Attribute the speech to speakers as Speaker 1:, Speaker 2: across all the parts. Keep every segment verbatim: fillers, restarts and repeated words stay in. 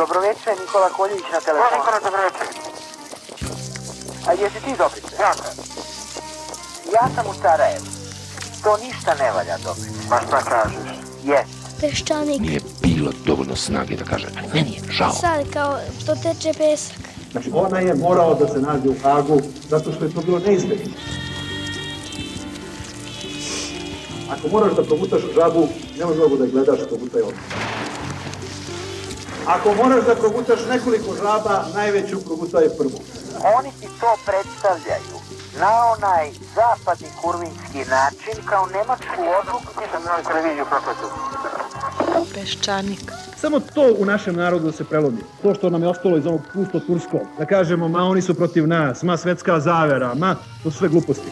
Speaker 1: Dobroveče, Nikola Koljević na telefonu.
Speaker 2: Nikola, dobroveče.
Speaker 1: A jesi ti Dobrice?
Speaker 2: Ja sam.
Speaker 1: Ja sam u Sarajevu. To ništa ne valja, Dobrice.
Speaker 2: Pa šta kažeš?
Speaker 1: Jes.
Speaker 3: Peščanik.
Speaker 4: Nije bilo dovoljno snage da kaže, ali meni je žao.
Speaker 3: Sad kao to teče pesak.
Speaker 5: Znači ona je morala da se nađe u Hagu zato što je to bilo neizbježno. Ako moraš da progutaš žabu, ne možeš mogu da je gledaš, progutaj odmah. Ako moraš da progutaš nekoliko žaba, najveću progutaj prvu.
Speaker 1: Oni ti to predstavljaju na onaj zapadni kurvinski način kao nemačku odluku.
Speaker 2: Nisam na televiziju propletu.
Speaker 3: Peščanik.
Speaker 5: Samo to u našem narodu se prelomi. To što nam je ostalo iz ovog pusto turskog. Da kažemo, ma oni su protiv nas, ma svetska zavera, ma to su sve gluposti.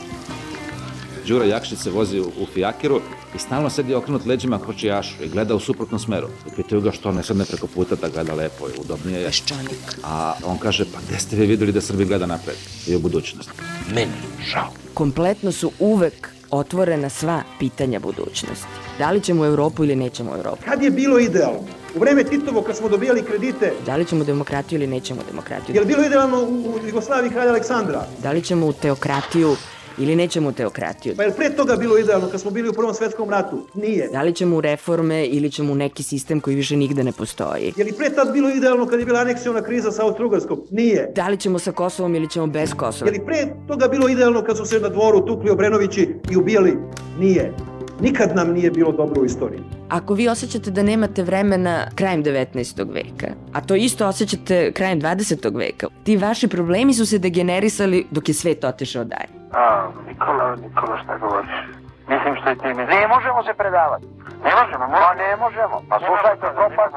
Speaker 6: Đura Jakšić se vozi u fijakiru i stalno sedi okrenut leđima kočijašu i gleda u suprotnom smeru. I pitaju ga što ne sedne preko puta da gleda lepo i udobnije je.
Speaker 3: Peščanik.
Speaker 6: A on kaže, pa gde ste vi vidjeli da Srbi gleda napred i u budućnost?
Speaker 4: Meni žao.
Speaker 7: Kompletno su uvek otvorena sva pitanja budućnosti. Da li ćemo u Evropu ili nećemo u Evropu?
Speaker 5: Kad je bilo idealno? U vreme Titovo kad smo dobijali kredite.
Speaker 7: Da li ćemo demokratiju ili nećemo demokratiju?
Speaker 5: Je li bilo idealno u Jugoslaviji kralja Aleksandra?
Speaker 7: Da li ćemo u teokratiju ili nećemo u teokratiju?
Speaker 5: Pa je li pre toga bilo idealno kad smo bili u Prvom svetskom ratu? Nije.
Speaker 7: Da li ćemo u reforme ili ćemo u neki sistem koji više nigde ne postoji?
Speaker 5: Je li pre tad bilo idealno kad je bila aneksiona kriza sa Austro-Ugarskom? Nije.
Speaker 7: Da li ćemo sa Kosovom ili ćemo bez Kosova?
Speaker 5: Je li pre toga bilo idealno kad su se na dvoru tukli Obrenovići i ubijali? Nije. Nikad nam nije bilo dobro u istoriji.
Speaker 7: Ako vi osjećate da nemate vremena krajem devetnaestog veka, a to isto osjećate krajem dvadesetog veka, ti vaši problemi su se degenerisali dok je svet otišao dalje.
Speaker 2: A, Nikola, Nikola, šta govoriš? Mislim što i ti misliš.
Speaker 1: Ne možemo se predavati.
Speaker 2: Ne možemo,
Speaker 1: Pa
Speaker 2: moramo.
Speaker 1: ne možemo. Pa slušajte, propad,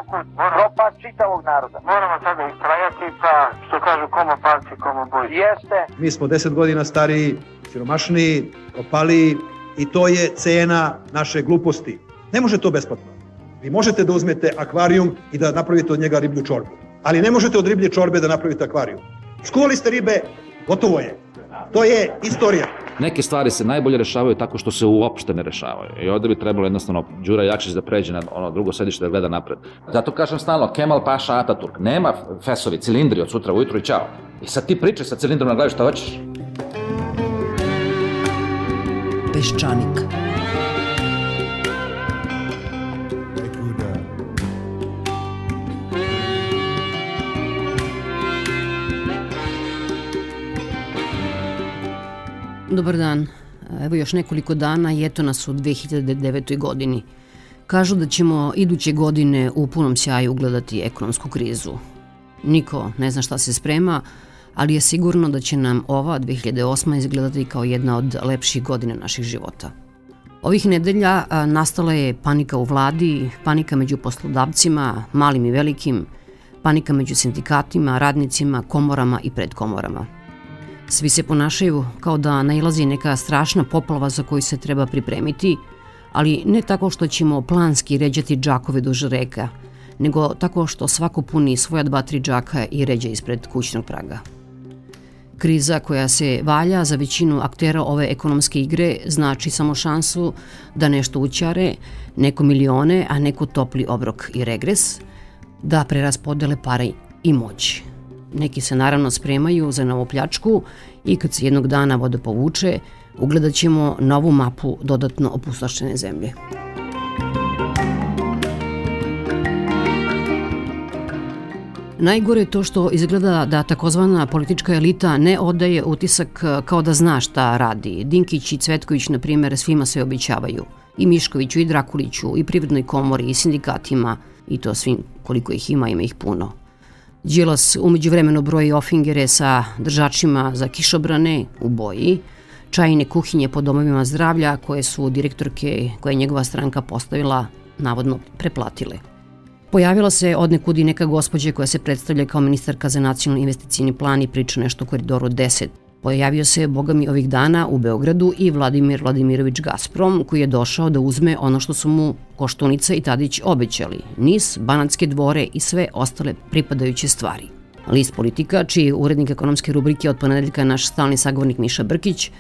Speaker 1: propad čitavog naroda.
Speaker 2: Moramo sada istrajati, pa što kažu komo palci, komo boj.
Speaker 1: Jeste.
Speaker 5: Mi smo deset godina stariji, siromašniji, opaliji i to je cena naše gluposti. Ne može to besplatno. Vi možete da uzmete akvarijum i da napravite od njega riblju čorbu. Ali ne možete od riblje čorbe da napravite akvarijum. Skuvali ste ribe, gotovo je. To je istorija.
Speaker 6: Neke stvari se najbolje rešavaju tako što se uopšte ne rešavaju. I ovde bi trebalo jednostavno Đura Jakšić da pređe na ono drugo sedište da gleda napred. Zato kažem stalno, Kemal Paša Ataturk. Nema fesovi, cilindri od sutra ujutru i čao. I sad ti pričaj sa cilindrom na glavi šta hoćeš.
Speaker 7: Peščanik.
Speaker 8: Dobar dan. Evo još nekoliko dana i eto nas u dve hiljade devetoj. godini. Kažu da ćemo iduće godine u punom sjaju ugledati ekonomsku krizu. Niko ne zna šta se sprema, ali je sigurno da će nam ova dve hiljade osma. izgledati kao jedna od lepših godina naših života. Ovih nedelja nastala je panika u vladi, panika među poslodavcima, malim i velikim, panika među sindikatima, radnicima, komorama i predkomorama. Svi se ponašaju kao da nailazi neka strašna poplava za koju se treba pripremiti, ali ne tako što ćemo planski ređati džakove duž reka, nego tako što svako puni svoja dva, tri džaka i ređa ispred kućnog praga. Kriza koja se valja za većinu aktera ove ekonomske igre znači samo šansu da nešto ućare, neko milione, a neko topli obrok i regres, da preraspodele pare i moć. Neki se naravno spremaju za novu pljačku i kad se jednog dana voda povuče, ugledat ćemo novu mapu dodatno opustošene zemlje. Najgore je to što izgleda da takozvana politička elita ne odaje utisak kao da zna šta radi. Dinkić i Cvetković, na primjer, svima se obećavaju. I Miškoviću, i Drakuliću, i Privrednoj komori, i sindikatima, i to svim koliko ih ima, ima ih puno. Đilas umeđu vremenu broji ofingere sa držačima za kišobrane u boji, čajne kuhinje po domovima zdravlja koje su direktorke koje je njegova stranka postavila navodno preplatile. Pojavila se odnekud i neka gospođa koja se predstavlja kao ministarka za nacionalni investicijni plan i priča nešto o Koridoru deset. Pojavio se, boga mi, ovih dana u Beogradu i Vladimir Vladimirović Gazprom, koji je došao da uzme ono što su mu Koštunica i Tadić obećali, Nis, Banatske dvore i sve ostale pripadajuće stvari. List Politika, čiji je urednik ekonomske rubrike od ponedeljka naš stalni sagovornik Miša Brkić,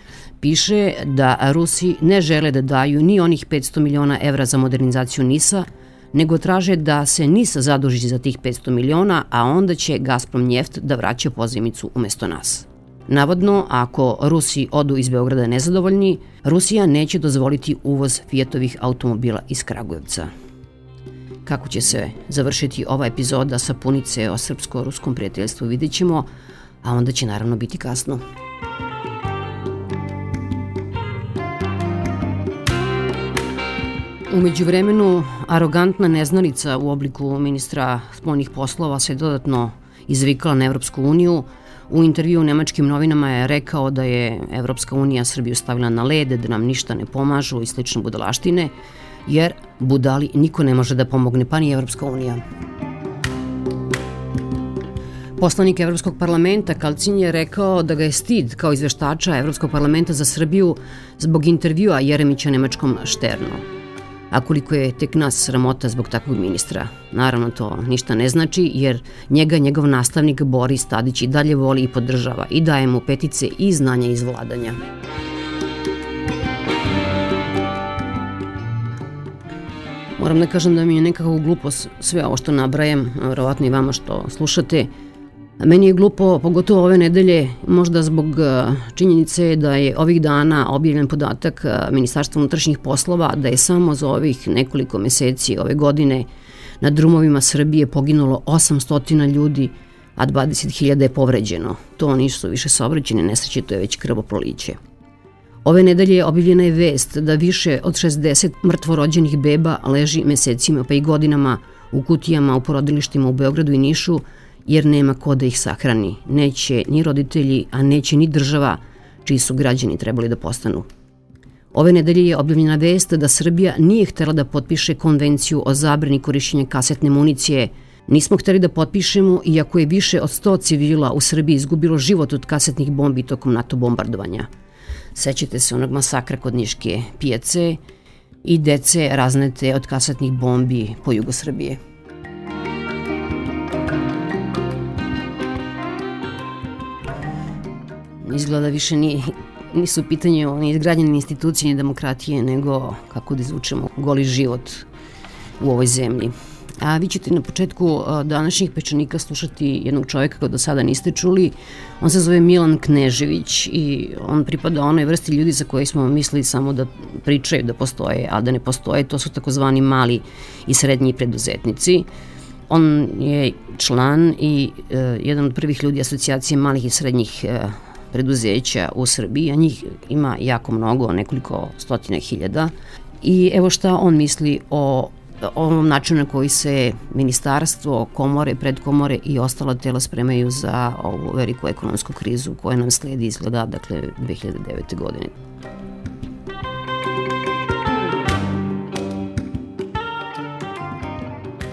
Speaker 8: piše da Rusi ne žele da daju ni onih petsto miliona evra za modernizaciju Nisa, nego traže da se N I S zaduži za tih petsto miliona, a onda će Gazprom Njeft da vraća pozajmicu umesto nas. Navodno, ako Rusi odu iz Beograda nezadovoljni, Rusija neće dozvoliti uvoz Fiatovih automobila iz Kragujevca. Kako će se završiti ova epizoda sapunice o srpsko-ruskom prijateljstvu vidjet ćemo, a onda će naravno biti kasno. U međuvremenu, arogantna neznalica u obliku ministra spoljnih poslova se dodatno izvikala na Evropsku uniju. U intervju u nemačkim novinama je rekao da je Evropska unija Srbiju stavila na led, da nam ništa ne pomažu i slične budalaštine, jer budali niko ne može da pomogne, pa ni Evropska unija. Poslanik Evropskog parlamenta Kalcin je rekao da ga je stid kao izveštača Evropskog parlamenta za Srbiju zbog intervjua Jeremića nemačkom Šternu. A koliko je tek nas sramota zbog takvog ministra? Naravno, to ništa ne znači, jer njega njegov nastavnik Boris Tadić i dalje voli i podržava i daje mu petice i znanja iz vladanja. Moram da kažem da mi je nekako glupost sve ovo što nabrajam, verovatno i vama što slušate. Meni je glupo, pogotovo ove nedelje, možda zbog činjenice da je ovih dana objavljen podatak Ministarstva unutrašnjih poslova da je samo za ovih nekoliko meseci ove godine na drumovima Srbije poginulo osamsto ljudi, a dvadeset hiljada je povređeno. To nisu više saobraćajne nesreće, to je već krvoproliće. Ove nedelje objavljena je vest da više od šezdeset mrtvorođenih beba leži mesecima pa i godinama u kutijama u porodilištima u Beogradu i Nišu, jer nema ko da ih sahrani. Neće ni roditelji, a neće ni država, čiji su građani trebali da postanu. Ove nedelje je objavljena vest da Srbija nije htela da potpiše konvenciju o zabrani korišćenja kasetne municije. Nismo hteli da potpišemo, iako je više od sto civila u Srbiji izgubilo život od kasetnih bombi tokom NATO bombardovanja. Sećate se onog masakra kod Niške pijace i dece raznete od kasetnih bombi po jugu Srbije. Izgleda više nije, nisu pitanje o izgradnjene institucije ni demokratije, nego kako da izvučemo goli život u ovoj zemlji. A vi ćete na početku današnjih Pečanika slušati jednog čovjeka koji do sada niste čuli. On se zove Milan Knežević i on pripada onoj vrsti ljudi za koje smo mislili samo da pričaju da postoje, a da ne postoje. To su takozvani mali i srednji preduzetnici. On je član i uh, jedan od prvih ljudi asocijacije malih i srednjih uh, preduzeća u Srbiji, a njih ima jako mnogo, nekoliko stotina hiljada. I evo šta on misli o ovom načinu na koji se ministarstvo, komore, predkomore i ostala tela spremaju za ovu veliku ekonomsku krizu koja nam sledi izgleda, dakle, dve hiljade devete. godine.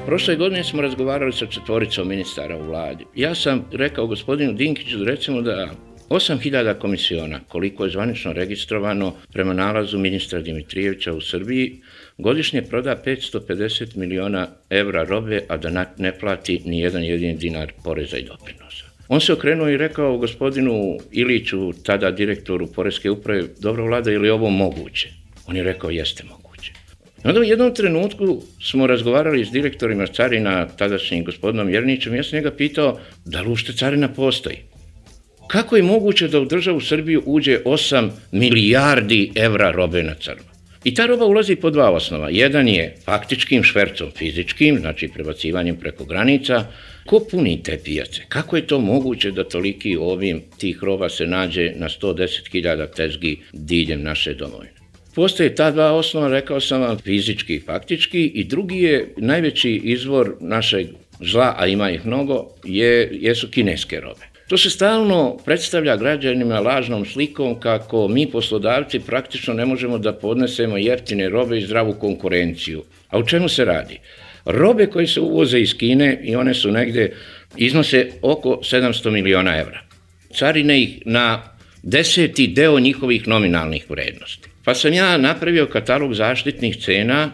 Speaker 9: Prošle godine smo razgovarali sa četvoricom ministara u vladi. Ja sam rekao gospodinu Dinkiću recimo da osam hiljada komisiona, koliko je zvanično registrovano prema nalazu ministra Dimitrijevića u Srbiji, godišnje proda petsto pedeset miliona evra robe, a da ne plati ni jedan jedini dinar poreza i doprinosa. On se okrenuo i rekao gospodinu Iliću, tada direktoru Poreske uprave, dobro vlada, je li ovo moguće? On je rekao, jeste moguće. Onda u jednom trenutku smo razgovarali s direktorima carina, tadašnjim gospodinom Jernićem, ja sam njega pitao, da li uopšte carina postoji? Kako je moguće da u državu Srbiju uđe osam milijardi evra robe na crno? I ta roba ulazi po dva osnova. Jedan je faktičkim švercom fizičkim, znači prebacivanjem preko granica. Ko puni te pijace? Kako je to moguće da toliki obim tih roba se nađe na sto deset hiljada tezgi diljem naše domovine? Postoje ta dva osnova, rekao sam vam, fizički i faktički, i drugi je najveći izvor našeg zla, a ima ih mnogo, je, jesu kineske robe. To se stalno predstavlja građanima lažnom slikom kako mi poslodavci praktično ne možemo da podnesemo jeftine robe i zdravu konkurenciju. A u čemu se radi? Robe koje se uvoze iz Kine, i one su negde, iznose oko sedamsto miliona evra. Carine ih na deseti deo njihovih nominalnih vrednosti. Pa sam ja napravio katalog zaštitnih cena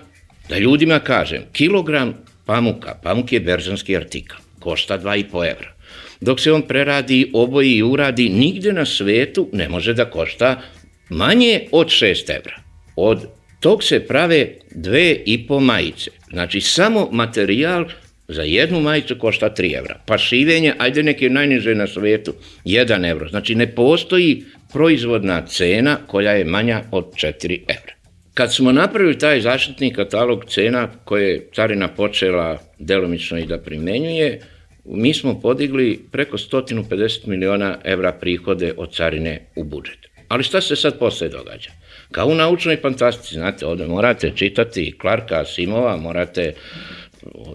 Speaker 9: da ljudima kažem, kilogram pamuka, pamuk je berzanski artikal, košta dva i po evra. Dok se on preradi, oboji i uradi, nigde na svetu ne može da košta manje od šest evra. Od tog se prave dve i po majice. Znači, samo materijal za jednu majicu košta tri evra. Pa šivenje, ajde neki najniže na svijetu, jedan evro. Znači, ne postoji proizvodna cena koja je manja od četiri evra. Kad smo napravili taj zaštitni katalog cena koje je carina počela delomično i da primenjuje, mi smo podigli preko sto pedeset miliona evra prihode od carine u budžet. Ali šta se sad posle događa? Kao u naučnoj fantastici, znate, ovdje morate čitati Clarka Asimova, morate,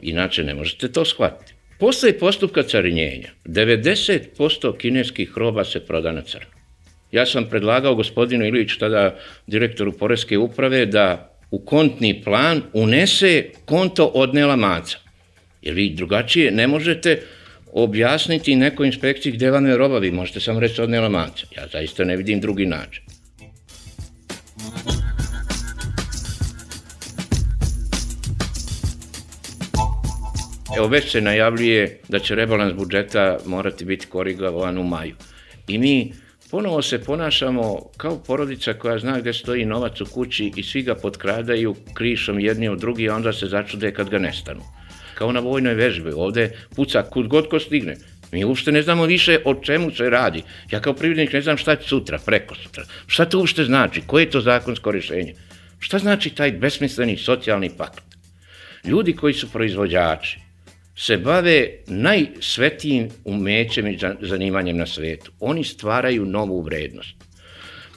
Speaker 9: inače ne možete to shvatiti. Posle postupka carinjenja, devedeset posto kineskih roba se proda na crno. Ja sam predlagao gospodinu Iliću, tada direktoru Poreske uprave, da u kontni plan unese konto odnela maca. Jer vi drugačije ne možete objasniti nekoj inspekciji gde vam je roba, vi možete samo reći odnela maca. Ja zaista ne vidim drugi način. Evo, već se najavljuje da će rebalans budžeta morati biti korigovan u maju. I mi ponovo se ponašamo kao porodica koja zna gde stoji novac u kući i svi ga potkradaju krišom jedni od drugi, a onda se začude kad ga nestanu. Kao na vojnoj vežbi, ovde puca kud god ko stigne. Mi uopšte ne znamo više o čemu se radi. Ja kao privrednik ne znam šta će sutra, preko sutra. Šta to uopšte znači? Koje je to zakonsko rješenje? Šta znači taj besmisleni socijalni pakt? Ljudi koji su proizvođači se bave najsvetijim umećem i zanimanjem na svetu. Oni stvaraju novu vrednost.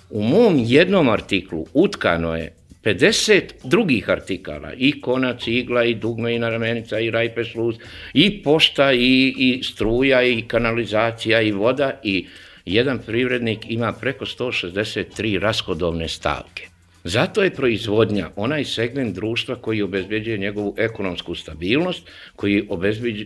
Speaker 9: U mom jednom artiklu utkano je pedeset drugih artikala, i konac, i igla, i dugme, i naramenica, i rajpe sluz, i pošta, i, i struja, i kanalizacija, i voda, i jedan privrednik ima preko sto šezdeset tri rashodovne stavke. Zato je proizvodnja onaj segment društva koji obezbeđuje njegovu ekonomsku stabilnost, koji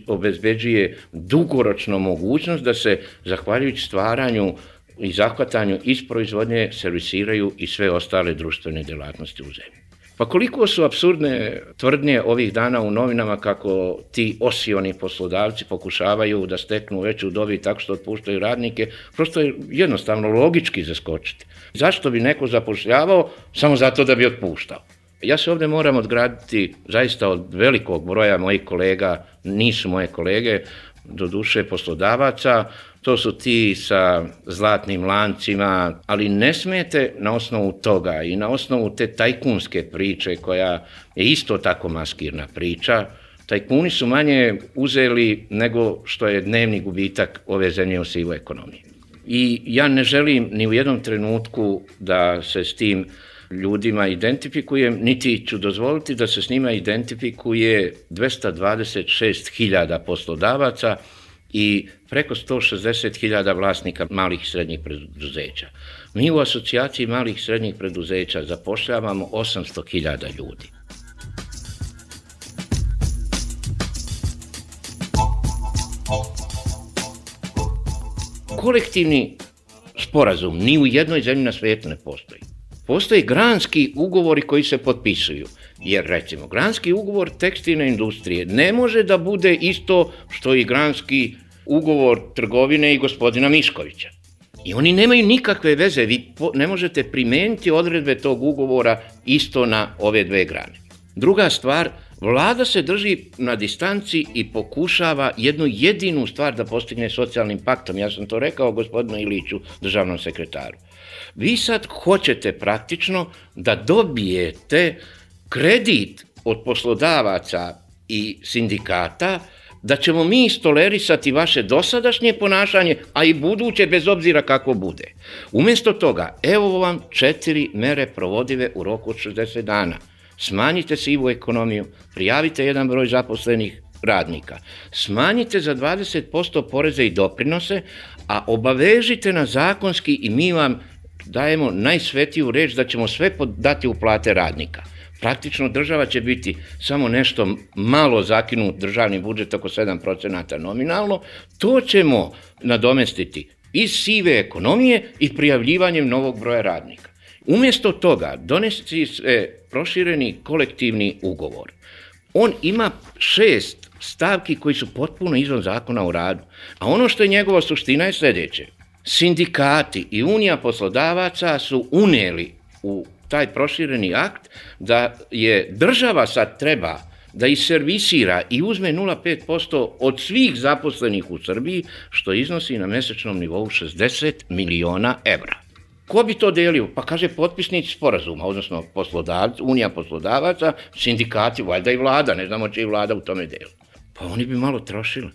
Speaker 9: obezbeđuje dugoročno mogućnost da se, zahvaljujući stvaranju i zahvatanju iz proizvodnje, servisiraju i sve ostale društvene djelatnosti u zemlji. Pa koliko su apsurdne tvrdnje ovih dana u novinama kako ti osioni poslodavci pokušavaju da steknu veću dobit tako što otpuštaju radnike, prosto je jednostavno logički zaskočiti. Zašto bi neko zapošljavao samo zato da bi otpuštao? Ja se ovdje moram odgraditi zaista od velikog broja mojih kolega, nisu moje kolege, do duše poslodavaca, to su ti sa zlatnim lancima, ali ne smijete na osnovu toga i na osnovu te tajkunske priče koja je isto tako maskirna priča. Tajkuni su manje uzeli nego što je dnevni gubitak ove zemlje u sivoj ekonomiji. I ja ne želim ni u jednom trenutku da se s tim ljudima identifikujem, niti ću dozvoliti da se s njima identifikuje dvesta dvadeset šest hiljada poslodavaca i preko sto šezdeset hiljada vlasnika malih i srednjih preduzeća. Mi u asocijaciji malih i srednjih preduzeća zapošljavamo osamsto hiljada ljudi. Kolektivni sporazum ni u jednoj zemlji na svijetu ne postoji. Postoje granski ugovori koji se potpisuju, jer recimo granski ugovor tekstilne industrije ne može da bude isto što i granski ugovor trgovine i gospodina Miškovića. I oni nemaju nikakve veze, vi ne možete primeniti odredbe tog ugovora isto na ove dve grane. Druga stvar, vlada se drži na distanci i pokušava jednu jedinu stvar da postigne socijalnim paktom. Ja sam to rekao gospodinu Iliću, državnom sekretaru. Vi sad hoćete praktično da dobijete kredit od poslodavaca i sindikata da ćemo mi istolerisati vaše dosadašnje ponašanje, a i buduće bez obzira kako bude. Umjesto toga, evo vam četiri mere provodive u roku od šezdeset dana. Smanjite sivu ekonomiju, prijavite jedan broj zaposlenih radnika, smanjite za dvadeset posto poreze i doprinose, a obavežite nas zakonski i mi vam dajemo najsvetiju reč da ćemo sve dati u plate radnika. Praktično država će biti samo nešto malo zakinut državni budžet, oko sedam procenata nominalno, to ćemo nadomestiti iz sive ekonomije i prijavljivanjem novog broja radnika. Umjesto toga donesti se prošireni kolektivni ugovor. On ima šest stavki koji su potpuno izvan zakona o radu, a ono što je njegova suština je sljedeće. Sindikati i Unija poslodavaca su unijeli u taj prošireni akt da je država sad treba da iservisira i uzme nula zarez pet posto od svih zaposlenih u Srbiji, što iznosi na mesečnom nivou šezdeset miliona evra. Ko bi to delio? Pa kaže potpisnici sporazuma, odnosno poslodavci, Unija poslodavaca, sindikati, valjda i vlada, ne znamo će i vlada u tome delu. Pa oni bi malo trošili.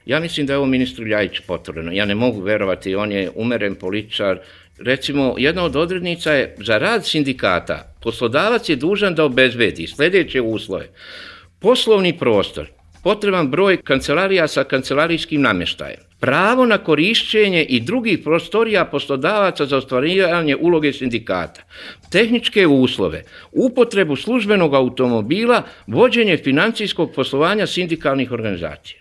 Speaker 9: Ja mislim da je ovo ministru Ljajiću potvrđeno. Ja ne mogu verovati, on je umeren političar. Recimo, jedna od odrednica je za rad sindikata. Poslodavac je dužan da obezbedi sledeće uslove. Poslovni prostor, potreban broj kancelarija sa kancelarijskim namještajem, pravo na korišćenje i drugih prostorija poslodavaca za ostvarivanje uloge sindikata, tehničke uslove, upotrebu službenog automobila, vođenje financijskog poslovanja sindikalnih organizacija.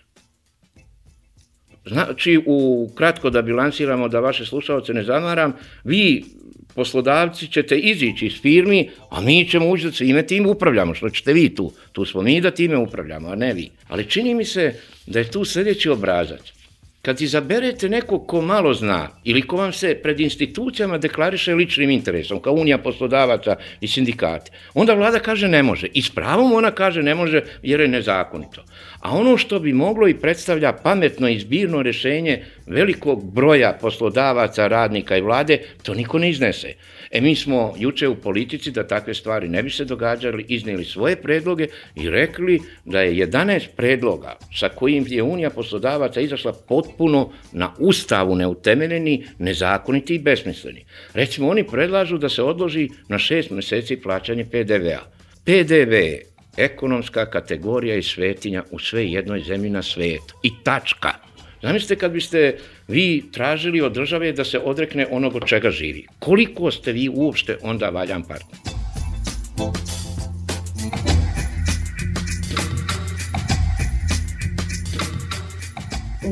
Speaker 9: Znači, u kratko da bilansiramo, da vaše slušalce ne zamaram, vi, poslodavci, ćete izići iz firmi, a mi ćemo ući da svime tim upravljamo, što ćete vi tu. Tu smo mi da time upravljamo, a ne vi. Ali čini mi se da je tu sljedeći obrazac. Kad izaberete nekog ko malo zna ili ko vam se pred institucijama deklariše ličnim interesom, kao Unija poslodavaca i sindikati, onda vlada kaže ne može. I s pravom ona kaže ne može jer je nezakonito. A ono što bi moglo i predstavlja pametno i zbirno rješenje velikog broja poslodavaca, radnika i vlade, to niko ne iznese. E mi smo juče u politici da takve stvari ne bi se događali, iznijeli svoje predloge i rekli da je jedanaest predloga sa kojim je Unija poslodavaca izašla potpuno na ustavu neutemeljeni, nezakoniti i besmisleni. Recimo, oni predlažu da se odloži na šest meseci plaćanje pe de vea. pe de ve je ekonomska kategorija i svetinja u sve jednoj zemlji na svetu. I tačka. Zamislite kad biste vi tražili od države da se odrekne onog od čega živi. Koliko ste vi uopšte onda valjan partner?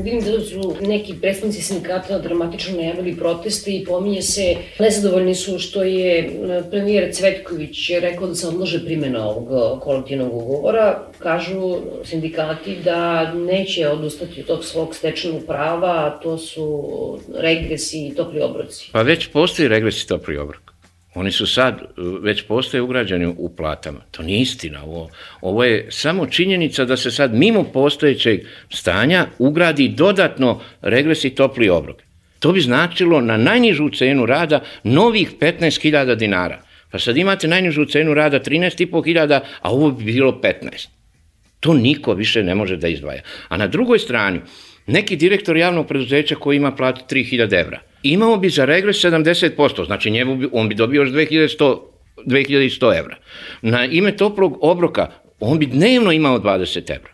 Speaker 10: Vidim da su neki predstavnici sindikata dramatično najavili proteste i pominje se, nezadovoljni su što je premijer Cvetković rekao da se odlože primjena ovog kolektivnog ugovora. Kažu sindikati da neće odustati od tog svog stečenog prava, a to su regresi i topli obroci.
Speaker 9: Pa već postoji regres i topli obrok. Oni su sad, već postoje ugrađeni u platama. To nije istina. Ovo, ovo je samo činjenica da se sad mimo postojećeg stanja ugradi dodatno regres i topli obrok. To bi značilo na najnižu cenu rada novih petnaest hiljada dinara. Pa sad imate najnižu cenu rada trinaest i po hiljada, a ovo bi bilo petnaest. To niko više ne može da izdvaja. A na drugoj strani, neki direktor javnog preduzeća koji ima platu tri hiljade evra, imao bi za regres sedamdeset posto, znači njemu bi, on bi dobio još dve hiljade sto evra. Na ime toplog obroka on bi dnevno imao dvadeset evra.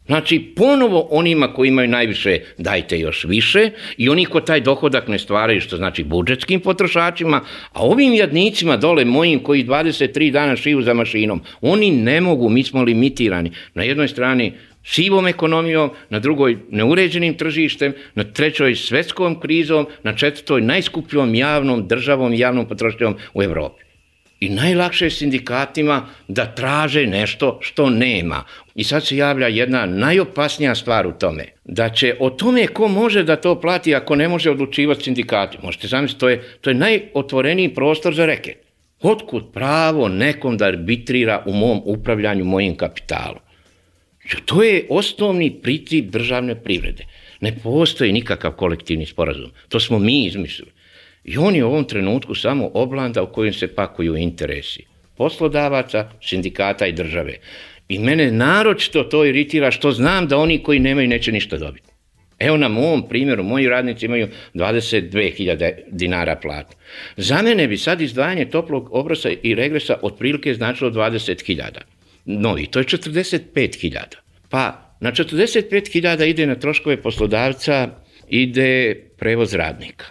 Speaker 9: Znači, ponovo onima koji imaju najviše dajte još više i oni ko taj dohodak ne stvaraju, što znači budžetskim potrošačima, a ovim jadnicima dole mojim koji dvadeset tri dana šiju za mašinom, oni ne mogu, mi smo limitirani. Na jednoj strani sivom ekonomijom, na drugoj neuređenim tržištem, na trećoj svetskom krizom, na četvrtoj najskupljom javnom državom i javnom potrošnjom u Evropi. I najlakše je sindikatima da traže nešto što nema. I sad se javlja jedna najopasnija stvar u tome, da će o tome ko može da to plati ako ne može odlučivati sindikati. Možete zamisliti, to je, to je najotvoreniji prostor za reket. Otkud pravo nekom da arbitrira u mom upravljanju mojim kapitalom? To je osnovni princip državne privrede. Ne postoji nikakav kolektivni sporazum. To smo mi izmislili. I on je u ovom trenutku samo oblanda u kojoj se pakuju interesi poslodavaca, sindikata i države. I mene naročito to iritira što znam da oni koji nemaju neće ništa dobiti. Evo na mom primjeru, moji radnici imaju dvadeset dve hiljade dinara platu. Za mene bi sad izdvajanje toplog obroka i regresa otprilike značilo dvadeset hiljada. Novi, to je četrdeset pet hiljada. Pa na četrdeset pet hiljada ide na troškove poslodavca, ide prevoz radnika.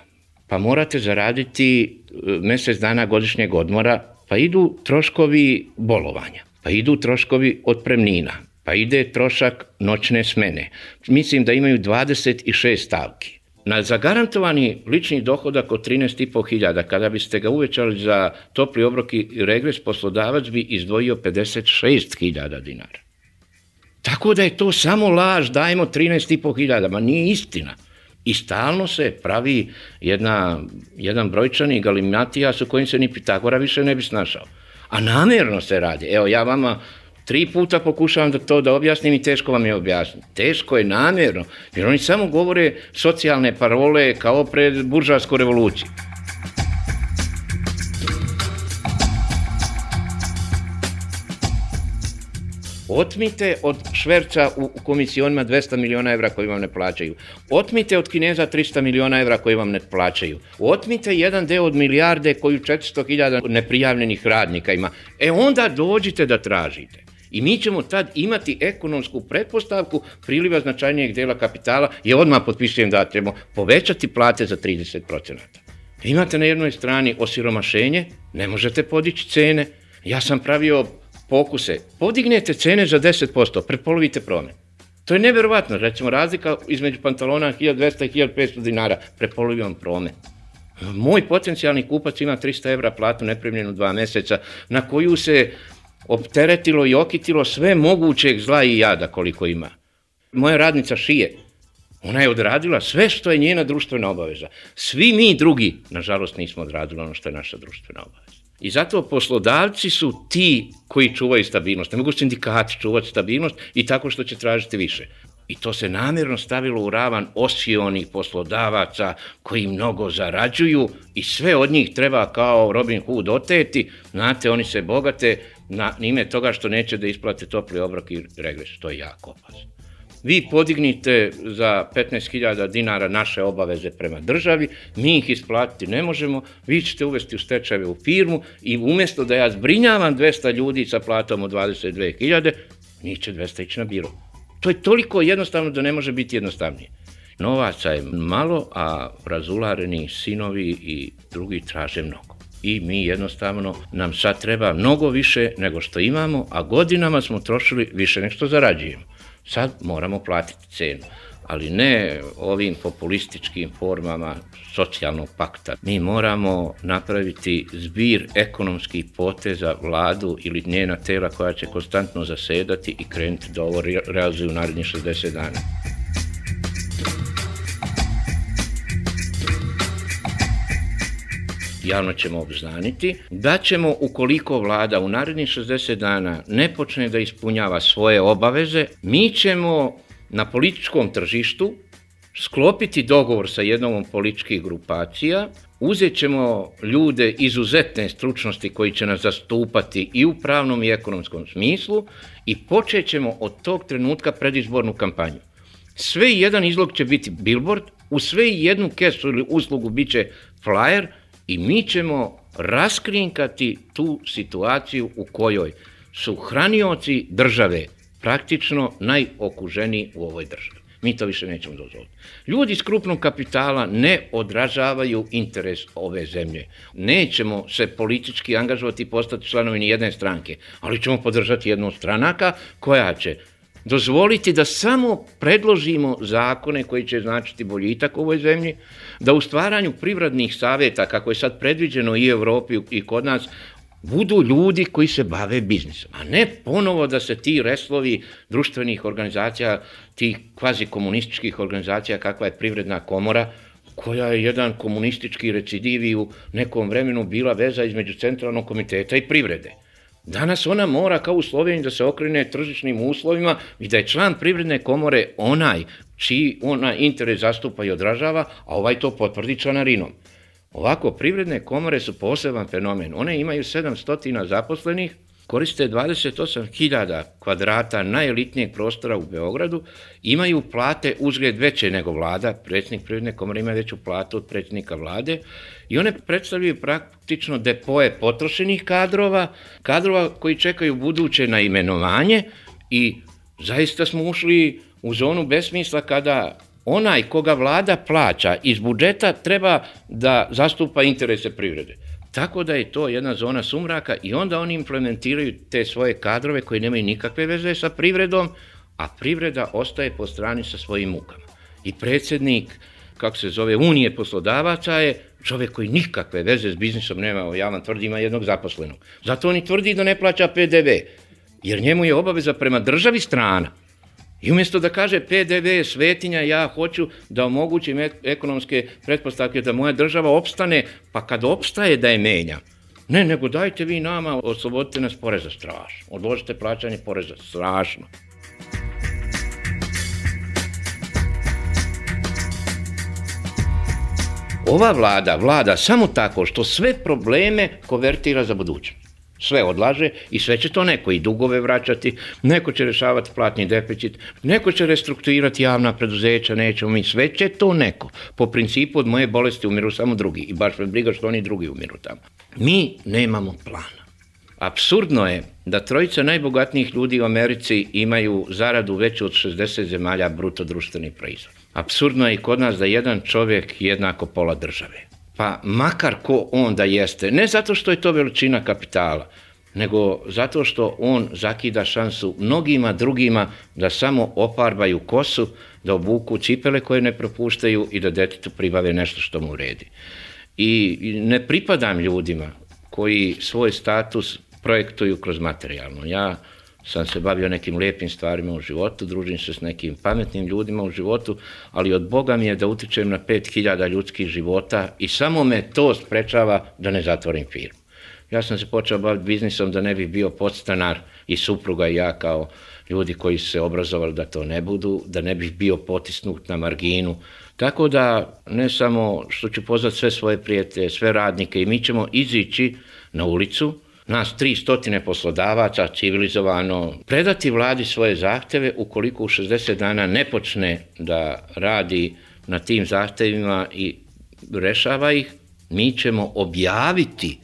Speaker 9: Pa morate zaraditi mjesec dana godišnjeg odmora, pa idu troškovi bolovanja, pa idu troškovi otpremnina, pa ide trošak noćne smene. Mislim da imaju dvadeset šest stavki. Na zagarantovani lični dohodak od trinaest i po hiljada, kada biste ga uvećali za topli obrok i regres, poslodavac bi izdvojio pedeset šest hiljada dinara. Tako da je to samo laž, dajemo trinaest i po hiljada, ma nije istina. I stalno se pravi jedna, jedan brojčani galimatijas u kojim se ni Pitagora više ne bi snašao. A namjerno se radi. Evo, ja vama tri puta pokušavam da to da objasnim i teško vam je objasniti. Teško je namjerno, jer oni samo govore socijalne parole kao pred buržoasku revoluciju. Otmite od šverca u komisionima dvesta miliona evra koji vam ne plaćaju. Otmite od Kineza trista miliona evra koji vam ne plaćaju. Otmite jedan deo od milijarde koju četiristo hiljada neprijavljenih radnika ima. E onda dođite da tražite. I mi ćemo tad imati ekonomsku pretpostavku priliva značajnijeg dela kapitala i odmah potpisujem da ćemo povećati plate za trideset procenata. Imate na jednoj strani osiromašenje, ne možete podići cene. Ja sam pravio pokuse. Podignete cene za deset posto, prepolovite promet. To je neverovatno. Recimo, razlika između pantalona hiljadu dvesta i hiljadu petsto dinara, prepolovio vam promet. Moj potencijalni kupac ima trista evra platu neprimljenu dva meseca, na koju se opteretilo i okitilo sve mogućeg zla i jada koliko ima. Moja radnica šije. Ona je odradila sve što je njena društvena obaveza. Svi mi drugi, nažalost, nismo odradili ono što je naša društvena obaveza. I zato poslodavci su ti koji čuvaju stabilnost. Ne mogu sindikati čuvati stabilnost i tako što će tražiti više. I to se namjerno stavilo u ravan osionih poslodavaca koji mnogo zarađuju i sve od njih treba kao Robin Hood oteti. Znate, oni se bogate na ime toga što neće da isplate topli obrok i regres. To je jako opasno. Vi podignite za petnaest hiljada dinara naše obaveze prema državi, mi ih isplatiti ne možemo, vi ćete uvesti u stečajeve u firmu i umjesto da ja zbrinjavam dvesta ljudi sa platom od dvadeset dve hiljade, njih će dvesta ići na biro. To je toliko jednostavno da ne može biti jednostavnije. Novaca je malo, a razulareni sinovi i drugi traže mnogo. I mi jednostavno, nam sad treba mnogo više nego što imamo, a godinama smo trošili više nego što zarađujemo. Sad moramo platiti cenu, ali ne ovim populističkim formama socijalnog pakta. Mi moramo napraviti zbir ekonomskih poteza vladu ili njena tela koja će konstantno zasedati i krenuti da ovo realizuju u narednih šezdeset dana. Javno ćemo obznaniti da ćemo, ukoliko vlada u narednih šezdeset dana ne počne da ispunjava svoje obaveze, mi ćemo na političkom tržištu sklopiti dogovor sa jednom od političkih grupacija, uzet ćemo ljude izuzetne stručnosti koji će nas zastupati i u pravnom i ekonomskom smislu i počet ćemo od tog trenutka predizbornu kampanju. Sve i jedan izlog će biti billboard, u sve i jednu kesu ili uslugu bit će flyer, i mi ćemo raskrinkati tu situaciju u kojoj su hranioci države praktično najokuženiji u ovoj državi. Mi to više nećemo dozvoliti. Ljudi iz krupnog kapitala ne odražavaju interes ove zemlje. Nećemo se politički angažovati i postati članovi ni jedne stranke, ali ćemo podržati jednu od stranaka koja će dozvoliti da samo predložimo zakone koji će značiti boljitak u ovoj zemlji, da u stvaranju privrednih savjeta, kako je sad predviđeno i u Evropi i kod nas, budu ljudi koji se bave biznisom, a ne ponovo da se ti reslovi društvenih organizacija, tih kvazi komunističkih organizacija, kakva je Privredna komora, koja je jedan komunistički recidiv i u nekom vremenu bila veza između Centralnog komiteta i privrede. Danas ona mora kao u Sloveniji da se okrene tržišnim uslovima i da je član Privredne komore onaj čiji ona interes zastupa i odražava, a ovaj to potvrdi članarinom. Ovako, Privredne komore su poseban fenomen. One imaju sedamsto zaposlenih, koriste dvadeset osam hiljada kvadrata najelitnijeg prostora u Beogradu, imaju plate uzgled veće nego vlada, predsjednik Privredne komore ima veću platu od predsjednika vlade i one predstavljaju praktično depoje potrošenih kadrova, kadrova koji čekaju buduće na imenovanje i zaista smo ušli u zonu besmisla kada onaj koga vlada plaća iz budžeta treba da zastupa interese privrede. Tako da je to jedna zona sumraka i onda oni implementiraju te svoje kadrove koji nemaju nikakve veze sa privredom, a privreda ostaje po strani sa svojim mukama. I predsjednik, kako se zove, Unije poslodavaca je čovjek koji nikakve veze s biznisom nema, ja vam tvrdi, ima jednog zaposlenog. Zato on i tvrdi da ne plaća P D V, jer njemu je obaveza prema državi strana. I umjesto da kaže P D V je svetinja, ja hoću da omogućim ekonomske pretpostavke da moja država opstane, pa kad opstaje da je menjam. Ne, nego dajte vi nama, oslobodite nas poreza, strašno. Odložite plaćanje poreza, strašno. Ova vlada vlada samo tako što sve probleme konvertira za budućnost. Sve odlaže i sve će to neko i dugove vraćati, neko će rešavati platni deficit, neko će restrukturirati javna preduzeća, nećemo mi, sve će to neko. Po principu od moje bolesti umiru samo drugi i baš me briga što oni drugi umiru tamo. Mi nemamo plana. Apsurdno je da trojica najbogatnijih ljudi u Americi imaju zaradu veću od šezdeset zemalja bruto društveni proizvod. Apsurdno je i kod nas da jedan čovjek jednako pola države. Pa makar ko on da jeste, ne zato što je to veličina kapitala, nego zato što on zakida šansu mnogima drugima da samo oparbaju kosu, da obuku cipele koje ne propuštaju i da detetu pribave nešto što mu uredi. I ne pripadam ljudima koji svoj status projektuju kroz materijalno. Ja sam se bavio nekim lijepim stvarima u životu, družim se s nekim pametnim ljudima u životu, ali od Boga mi je da utičem na pet hiljada ljudskih života i samo me to sprečava da ne zatvorim firmu. Ja sam se počeo baviti biznisom da ne bih bio podstanar i supruga i ja kao ljudi koji su se obrazovali da to ne budu, da ne bih bio potisnut na marginu. Tako da ne samo što ću pozvati sve svoje prijatelje, sve radnike i mi ćemo izići na ulicu, nas tri stotine poslodavaca civilizovano, predati vladi svoje zahteve ukoliko u šezdeset dana ne počne da radi na tim zahtevima i rešava ih, mi ćemo objaviti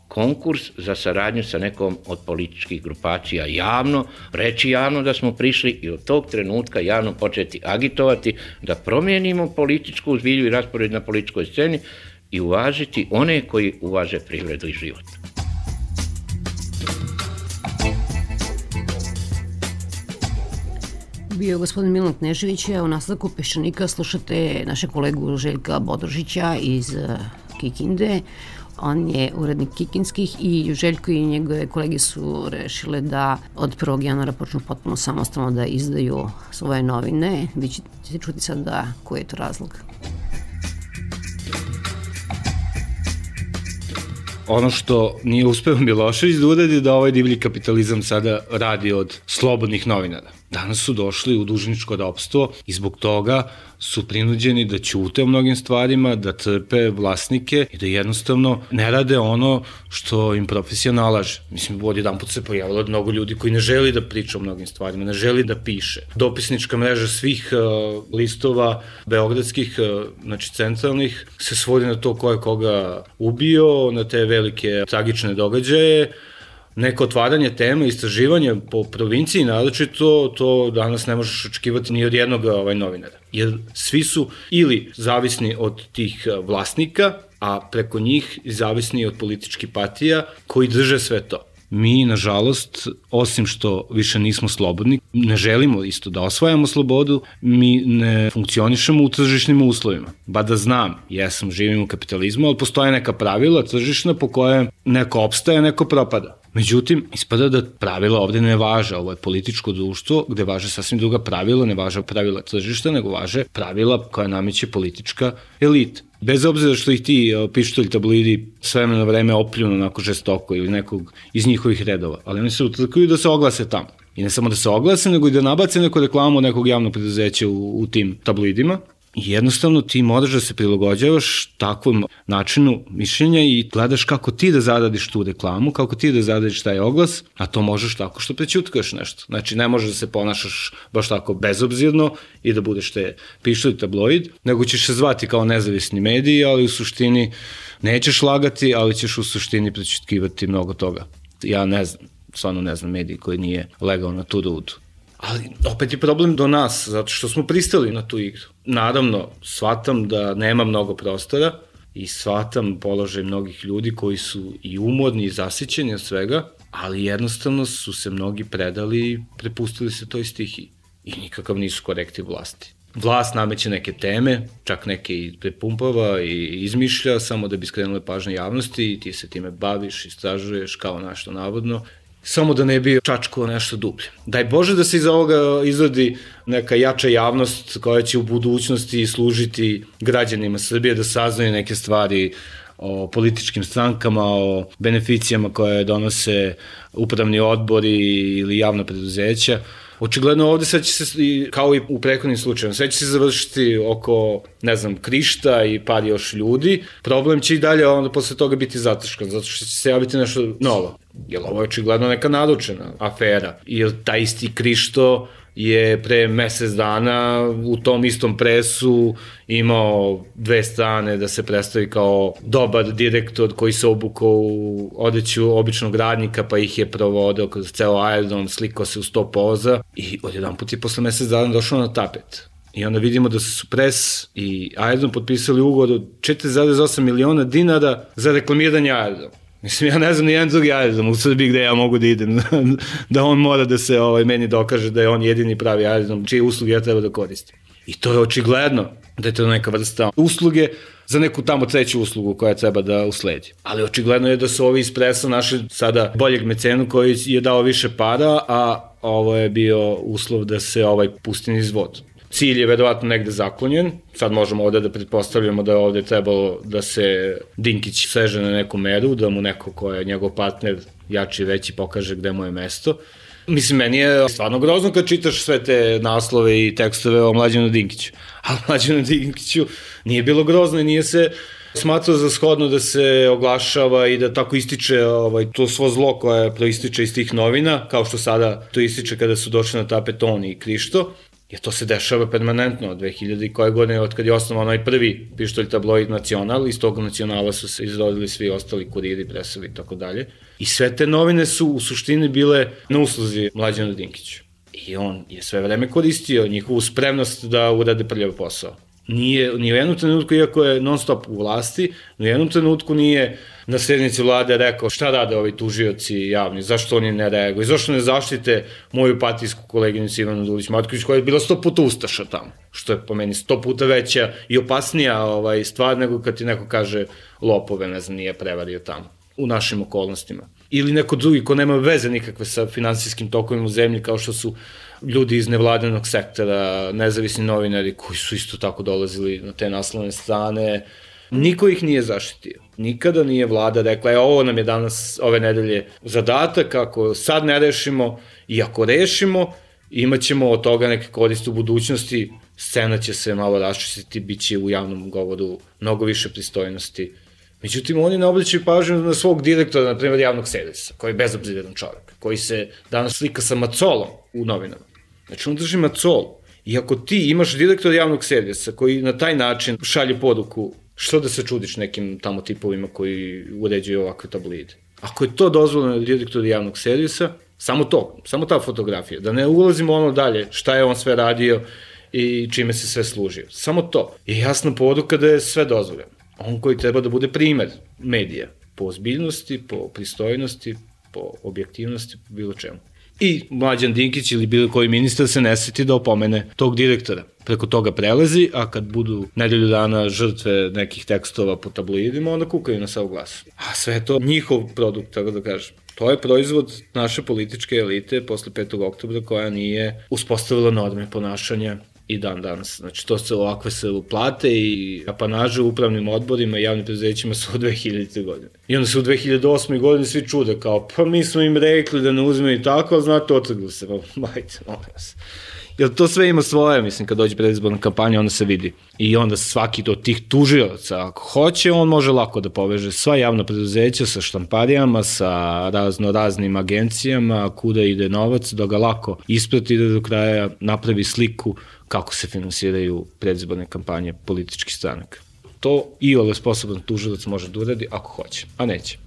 Speaker 9: konkurs za saradnju sa nekom od političkih grupacija javno, reći javno da smo prišli i od tog trenutka javno početi agitovati da promijenimo političku zbilju i raspored na političkoj sceni i uvažiti one koji uvaže privredu i život.
Speaker 8: Bio je gospodin Milan Knežević, a u nastavku Peščanika slušate naše kolegu Željka Bodrožića iz Kikinde. On je urednik Kikinskih i Željko i njegove kolege su rešile da od prvog januara počnu potpuno samostalno da izdaju svoje novine. Vi ćete čuti sad da koji je to razlog.
Speaker 11: Ono što nije uspeo Milošević da uradi da ovaj divlji kapitalizam sada radi od slobodnih novinara. Danas su došli u dužničko ropstvo i zbog toga su prinuđeni da ćute o mnogim stvarima, da trpe vlasnike i da jednostavno ne rade ono što im profesija nalaže. Mislim, od jedan put se pojavilo mnogo ljudi koji ne želi da priča o mnogim stvarima, ne želi da piše. Dopisnička mreža svih uh, listova beogradskih, uh, znači centralnih, se svodi na to ko je koga ubio, na te velike tragične događaje. Neko otvaranje teme, istraživanje po provinciji, naročito, to danas ne možeš očekivati ni od jednog ovaj, novinara. Jer svi su ili zavisni od tih vlasnika, a preko njih zavisni od političkih partija koji drže sve to. Mi, nažalost, osim što više nismo slobodni, ne želimo isto da osvajamo slobodu, mi ne funkcionišemo u tržišnim uslovima. Ba da znam, jesam, živim u kapitalizmu, ali postoje neka pravila tržišna po koje neko opstaje, neko propada. Međutim, ispada da pravila ovde ne važe, ovo je političko društvo gde važe sasvim druga pravila, ne važe pravila tržišta, nego važe pravila koja nameće politička elita. Bez obzira što ih ti pištolji tabloidi s vremena na vreme opljunu onako žestoko ili nekog iz njihovih redova, ali oni se utrkuju da se oglase tamo. I ne samo da se oglase, nego i da nabace neku reklamu nekog javnog preduzeća u, u tim tabloidima. I jednostavno ti moraš da se prilagođavaš takvom načinu mišljenja i gledaš kako ti da zaradiš tu reklamu, kako ti da zaradiš taj oglas, a to možeš tako što prećutkaš nešto. Znači ne možeš da se ponašaš baš tako bezobzirno i da budeš te pištolj tabloid, nego ćeš se zvati kao nezavisni mediji, ali u suštini nećeš lagati, ali ćeš u suštini prećutkivati mnogo toga. Ja ne znam, stvarno ne znam mediji koji nije legao na tu rudu. Ali opet je problem do nas, zato što smo pristali na tu igru. Naravno, shvatam da nema mnogo prostora i shvatam položaj mnogih ljudi koji su i umorni i zasićeni od svega, ali jednostavno su se mnogi predali i prepustili se toj stihiji. I nikakav nisu korektiv vlasti. Vlast nameće neke teme, čak neke i prepumpava i izmišlja samo da bi skrenule pažnje javnosti i ti se time baviš, istražuješ kao nešto navodno samo da ne bi čačkao nešto dublje. Daj Bože da se iz ovoga izrodi neka jača javnost koja će u budućnosti služiti građanima Srbije da saznaju neke stvari o političkim strankama, o beneficijama koje donose upravni odbori ili javna preduzeća. Očigledno ovde sad će se, kao i u prethodnim slučajima, sve će se završiti oko, ne znam, Krišta i par još ljudi. Problem će i dalje onda posle toga biti zataškan, zato što će se javiti nešto novo. Jer ovo je očigledno neka naručena afera. Jer taj isti Krišto je pre mesec dana u tom istom presu imao dve strane da se predstavi kao dobar direktor koji se obukao u odeću običnog radnika pa ih je provodio kroz ceo aerodrom, slikao se u sto poza i odjedan put je posle mesec dana došao na tapet. I onda vidimo da su pres i aerodrom potpisali ugovor od četiri zarez osam miliona dinara za reklamiranje aerodroma. Mislim, ja ne znam ni jedan drugi aerodrom u Srbiji gde ja mogu da idem, da on mora da se ovaj, meni dokaže da je on jedini pravi aerodrom, čije usluge ja treba da koristim. I to je očigledno da je to neka vrsta usluge za neku tamo treću uslugu koja treba da usledi. Ali očigledno je da su ovi iz presa našli sada boljeg mecenu koji je dao više para, a ovo je bio uslov da se ovaj pusti niz vodu. Cilj je verovatno negde zaklonjen, sad možemo ovde da pretpostavljamo da je ovde trebalo da se Dinkić seže na neku meru, da mu neko ko je njegov partner jači i veći pokaže gde mu je mesto. Mislim, meni je stvarno grozno kad čitaš sve te naslove i tekstove o Mlađanu Dinkiću. A Mlađanu Dinkiću nije bilo grozno i nije se smatrao za shodno da se oglašava i da tako ističe ovaj, to svo zlo koje proističe iz tih novina, kao što sada to ističe kada su došli na tapet on i Krišto. Jer to se dešava permanentno od dve hiljade i koje godine, od kad je osnovan onaj prvi pištolj tabloid Nacional, iz tog Nacionala su se izrodili svi ostali kuriri, presovi i tako dalje. I sve te novine su u suštini bile na usluzi Mlađanu Dinkiću. I on je sve vreme koristio njihovu spremnost da urade prljav posao. Nije, ni u jednom trenutku, iako je non stop u vlasti, ni u jednom trenutku nije na sednici vlade rekao šta rade ovi tužioci javni, zašto oni ne reaguju, zašto ne zaštite moju partijsku koleginicu Ivanu Dulić-Matković koja je bila sto puta ustaša tamo, što je po meni sto puta veća i opasnija ovaj, stvar nego kad ti neko kaže lopove, ne znam, nije prevario tamo, u našim okolnostima. Ili neko drugi ko nema veze nikakve sa finansijskim tokovima u zemlji, kao što su ljudi iz nevladinog sektora, nezavisni novinari koji su isto tako dolazili na te naslovne strane. Niko ih nije zaštitio. Nikada nije vlada rekla, e, ovo nam je danas, ove nedelje, zadatak, ako sad ne rešimo i ako rešimo, imat ćemo od toga neke koriste u budućnosti, scena će se malo raščistiti, bit će u javnom govoru mnogo više pristojnosti. Međutim, oni ne obličaju pažnju na svog direktora, na primjer, javnog servisa, koji je bezobziran čovjek, koji se danas slika sa macolom u novinama. Znači, on drži macol. I ako ti imaš direktora javnog servisa koji na taj način šalje poruku, što da se čudiš nekim tamo tipovima koji uređuju ovakve tabloide? Ako je to dozvoljeno direktor javnog servisa, samo to, samo ta fotografija, da ne ulazimo ono dalje, šta je on sve radio i čime se sve služio. Samo to je jasna poruka da je sve dozvoljeno. On koji treba da bude primer medija, po ozbiljnosti, po pristojnosti, po objektivnosti, po bilo čemu. I Mlađan Dinkić ili bilo koji ministar se ne seti da opomene tog direktora. Preko toga prelazi, a kad budu nedelju dana žrtve nekih tekstova po tabloidima, onda kukaju na sav glas. A sve je to njihov produkt, tako da kažem. To je proizvod naše političke elite posle petog oktobra koja nije uspostavila norme ponašanja i dan danas. Znači, to se ovakve se plate i apanaže u upravnim odborima i javnim preduzećima su od dve hiljadite godine. I onda se u dve hiljade osme godine svi čude kao, pa mi smo im rekli da ne uzmeju tako, ali znate, otrgli se. Majte, molim vas. Jer to sve ima svoje, mislim, kad dođe predizborna kampanja, onda se vidi. I onda svaki od tih tužioca, ako hoće, on može lako da poveže sva javna preduzeća sa štamparijama, sa razno raznim agencijama, kuda ide novac, da ga lako isprati da do kraja napravi sliku kako se finansiraju predizborne kampanje političkih stranaka. To i ovaj sposoban tužilac može da uradi ako hoće, a neće.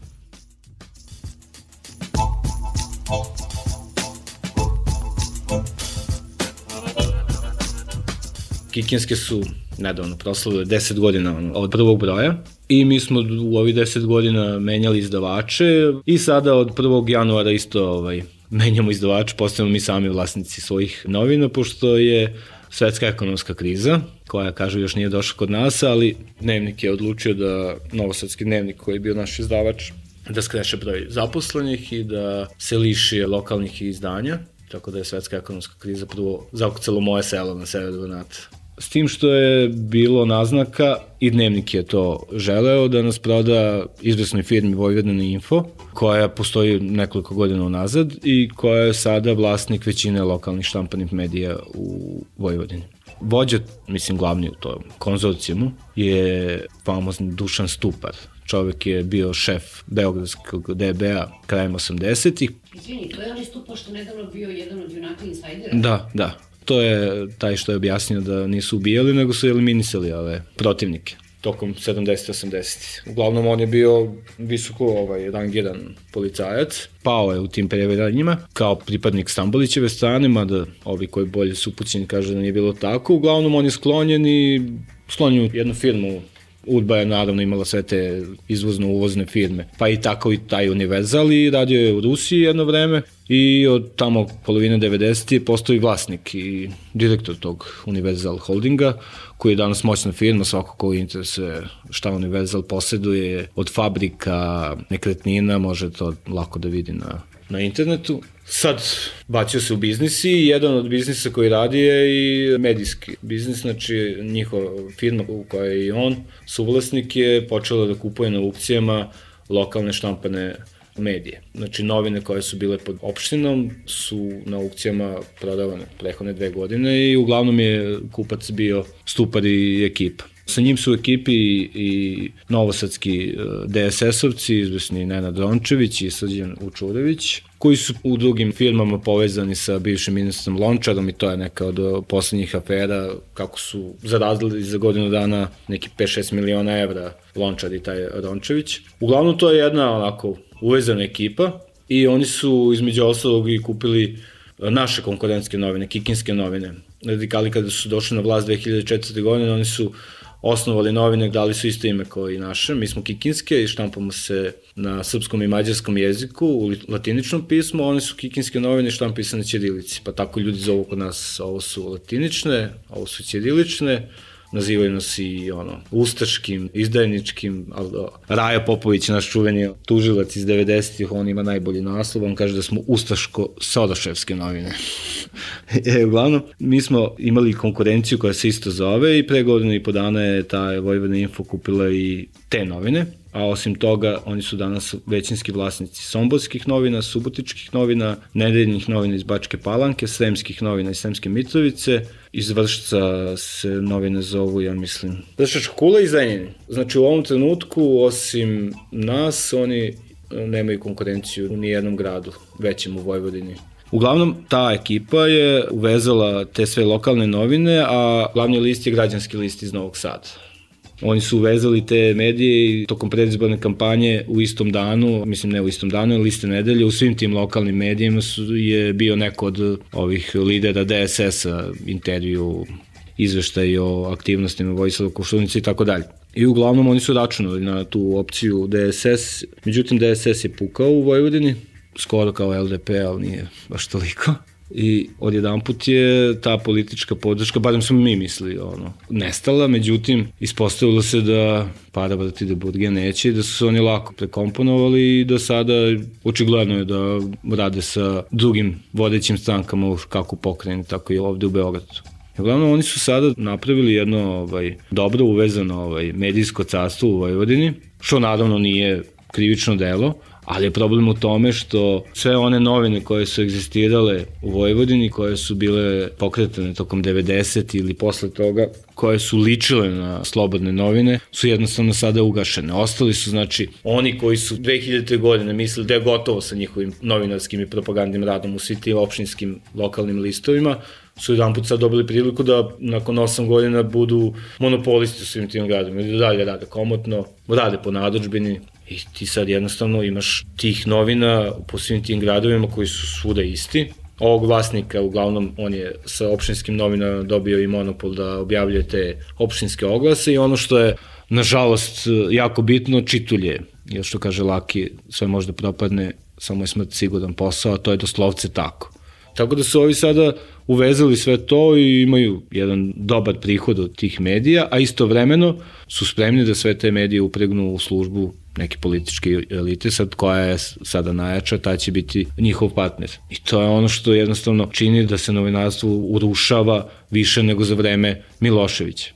Speaker 11: Kikinske su nedavno proslavile deset godina od prvog broja i mi smo u ovih deset godina menjali izdavače i sada od prvog januara isto ovaj, menjamo izdavače, postajemo mi sami vlasnici svojih novina, pošto je svetska ekonomska kriza, koja, kažu, još nije došla kod nas, ali Dnevnik je odlučio da, Novosadski dnevnik koji je bio naš izdavač, da skreše broj zaposlenih i da se liši lokalnih izdanja, tako da je svetska ekonomska kriza prvo zakucalo moje selo na severu Banata. S tim što je bilo naznaka, i Dnevnik je to želeo, da nas proda izvesnoj firmi Vojvodina Info, koja postoji nekoliko godina unazad i koja je sada vlasnik većine lokalnih štampanih medija u Vojvodini. Vođa, mislim glavni u tom konzorcijumu, je famozni Dušan Stupar. Čovek je bio šef beogradskog D B-a krajem osamdesetih.
Speaker 10: Izvini, to je onaj Stupar što nedavno bio jedan od junaka insajdera?
Speaker 11: Da, da. To je taj što je objasnio da nisu ubijali, nego su eliminisali ove protivnike tokom sedamdesetih osamdesetih. Uglavnom, on je bio visoko ovaj, rangiran policajac, pao je u tim previranjima kao pripadnik Stambolićeve strane, mada ovi koji bolje su upućeni kažu da nije bilo tako. Uglavnom, on je sklonjen i sklonjen u jednu firmu. Udba je naravno imala sve te izvozno-uvozne firme, pa i tako i taj Univerzal, i radio je u Rusiji jedno vreme i od tamo polovine devedesetih je postao i vlasnik i direktor tog Univerzal Holdinga, koji je danas moćna firma. Svako ko interesuje šta Univerzal poseduje od fabrika, nekretnina, može to lako da vidi na, na internetu. Sad bacio se u biznis i jedan od biznisa koji radi je i medijski biznis, znači njihova firma u kojoj je i on suvlasnik je počela da kupuje na aukcijama lokalne štampane medije. Znači novine koje su bile pod opštinom su na aukcijama prodavane prehodne dve godine i uglavnom je kupac bio Stupar i ekipa. Sa njim su u ekipi i novosadski D S S-ovci, izvesni Nenad Rončević i Srđan Vučurević, koji su u drugim firmama povezani sa bivšim ministrom Lončarom i to je neka od poslednjih afera kako su zaradili za godinu dana neki pet šest miliona evra Lončar i taj Rončević. Uglavnom to je jedna onako uvezana ekipa i oni su između ostalog i kupili naše konkurentske novine, Kikinske novine. Radikali kada su došli na vlast dve hiljade četvrte. godine, oni su osnovali novine, dali su isto ime kao i naše. Mi smo Kikinske i štampamo se na srpskom i mađarskom jeziku u latiničnom pismu, oni su Kikinske novine i štampaju se na ćirilici. Pa tako ljudi zovu kod nas, ovo su latinične, ovo su ćirilične, nazivaju nas i ono, ustaškim, izdajničkim, ali Raja Popović, naš čuveni tužilac iz devedesetih, on ima najbolji naslov, on kaže da smo ustaško-sodoševske novine. e, uglavnom, mi smo imali konkurenciju koja se isto zove i pre godinu i po dana je ta Vojvodina Info kupila i te novine, a osim toga oni su danas većinski vlasnici somborskih novina, subotičkih novina, nedeljnih novina iz Bačke Palanke, sremskih novina iz Sremske Mitrovice, iz Vršca se novine zovu, ja mislim, Vršačka Kula i Zrenjanin. Znači u ovom trenutku, osim nas, oni nemaju konkurenciju u nijednom gradu većem u Vojvodini. Uglavnom, ta ekipa je uvezala te sve lokalne novine, a glavni list je građanski list iz Novog Sada. Oni su uvezali te medije i tokom predizborne kampanje u istom danu, mislim ne u istom danu, ali iste nedelje, u svim tim lokalnim medijima su, je bio neko od ovih lidera D S S-a, intervju, izveštaj o aktivnostima Vojislava Koštunice i tako dalje. I uglavnom oni su računali na tu opciju D S S, međutim D S S je pukao u Vojvodini, skoro kao L D P, ali nije baš toliko. I odjedanput je ta politička podrška, barem smo mi mislili, ono, nestala, međutim, ispostavilo se da para vrti da burge neće i da su se oni lako prekomponovali i da sada očigledno je da rade sa drugim vodećim strankama kako u pokrajini, tako i ovde u Beogradu. Uglavnom, oni su sada napravili jedno ovaj, dobro uvezano ovaj, medijsko carstvo u Vojvodini, što naravno nije krivično delo, ali je problem u tome što sve one novine koje su egzistirale u Vojvodini, koje su bile pokretane tokom devedesetih ili posle toga, koje su ličile na slobodne novine, su jednostavno sada ugašene. Ostali su, znači, oni koji su dve hiljadite. godine mislili da je gotovo sa njihovim novinarskim i propagandnim radom u svim tim opštinskim lokalnim listovima, su jedan put sad dobili priliku da nakon osam godina budu monopolisti u svim tim gradovima i da dalje rade komotno, rade po narudžbini. I ti sad jednostavno imaš tih novina po svim tim gradovima koji su svuda isti. Ovog vlasnika, uglavnom, on je sa opštinskim novinama dobio i monopol da objavljuje te opštinske oglase i ono što je, nažalost, jako bitno, čitulje. Jer što kaže Laki, sve možda propadne, samo je smrt siguran posao, a to je doslovce tako. Tako da su ovi sada uvezali sve to i imaju jedan dobar prihod od tih medija, a istovremeno su spremni da sve te medije upregnu u službu neke političke elite, sad koja je sada najjača, ta će biti njihov partner. I to je ono što jednostavno čini da se novinarstvo urušava više nego za vreme Miloševića.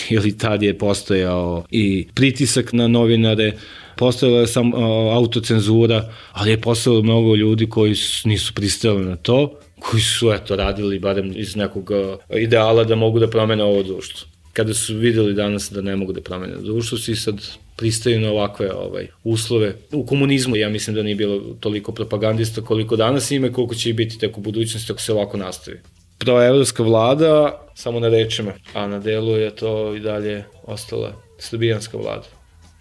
Speaker 11: Ili tad je postojao i pritisak na novinare, postojala je sam autocenzura, ali je postojalo mnogo ljudi koji nisu pristali na to, koji su eto radili barem iz nekog ideala da mogu da promene ovo društvo. Kada su videli danas da ne mogu da promene društvo, svi sad pristaju na ovakve ovaj, uslove. U komunizmu ja mislim da nije bilo toliko propagandista koliko danas ima i koliko će i biti tek u budućnosti ako se ovako nastavi. Proevropska vlada samo na rečima, a na delu je to i dalje ostala srbijanska vlada.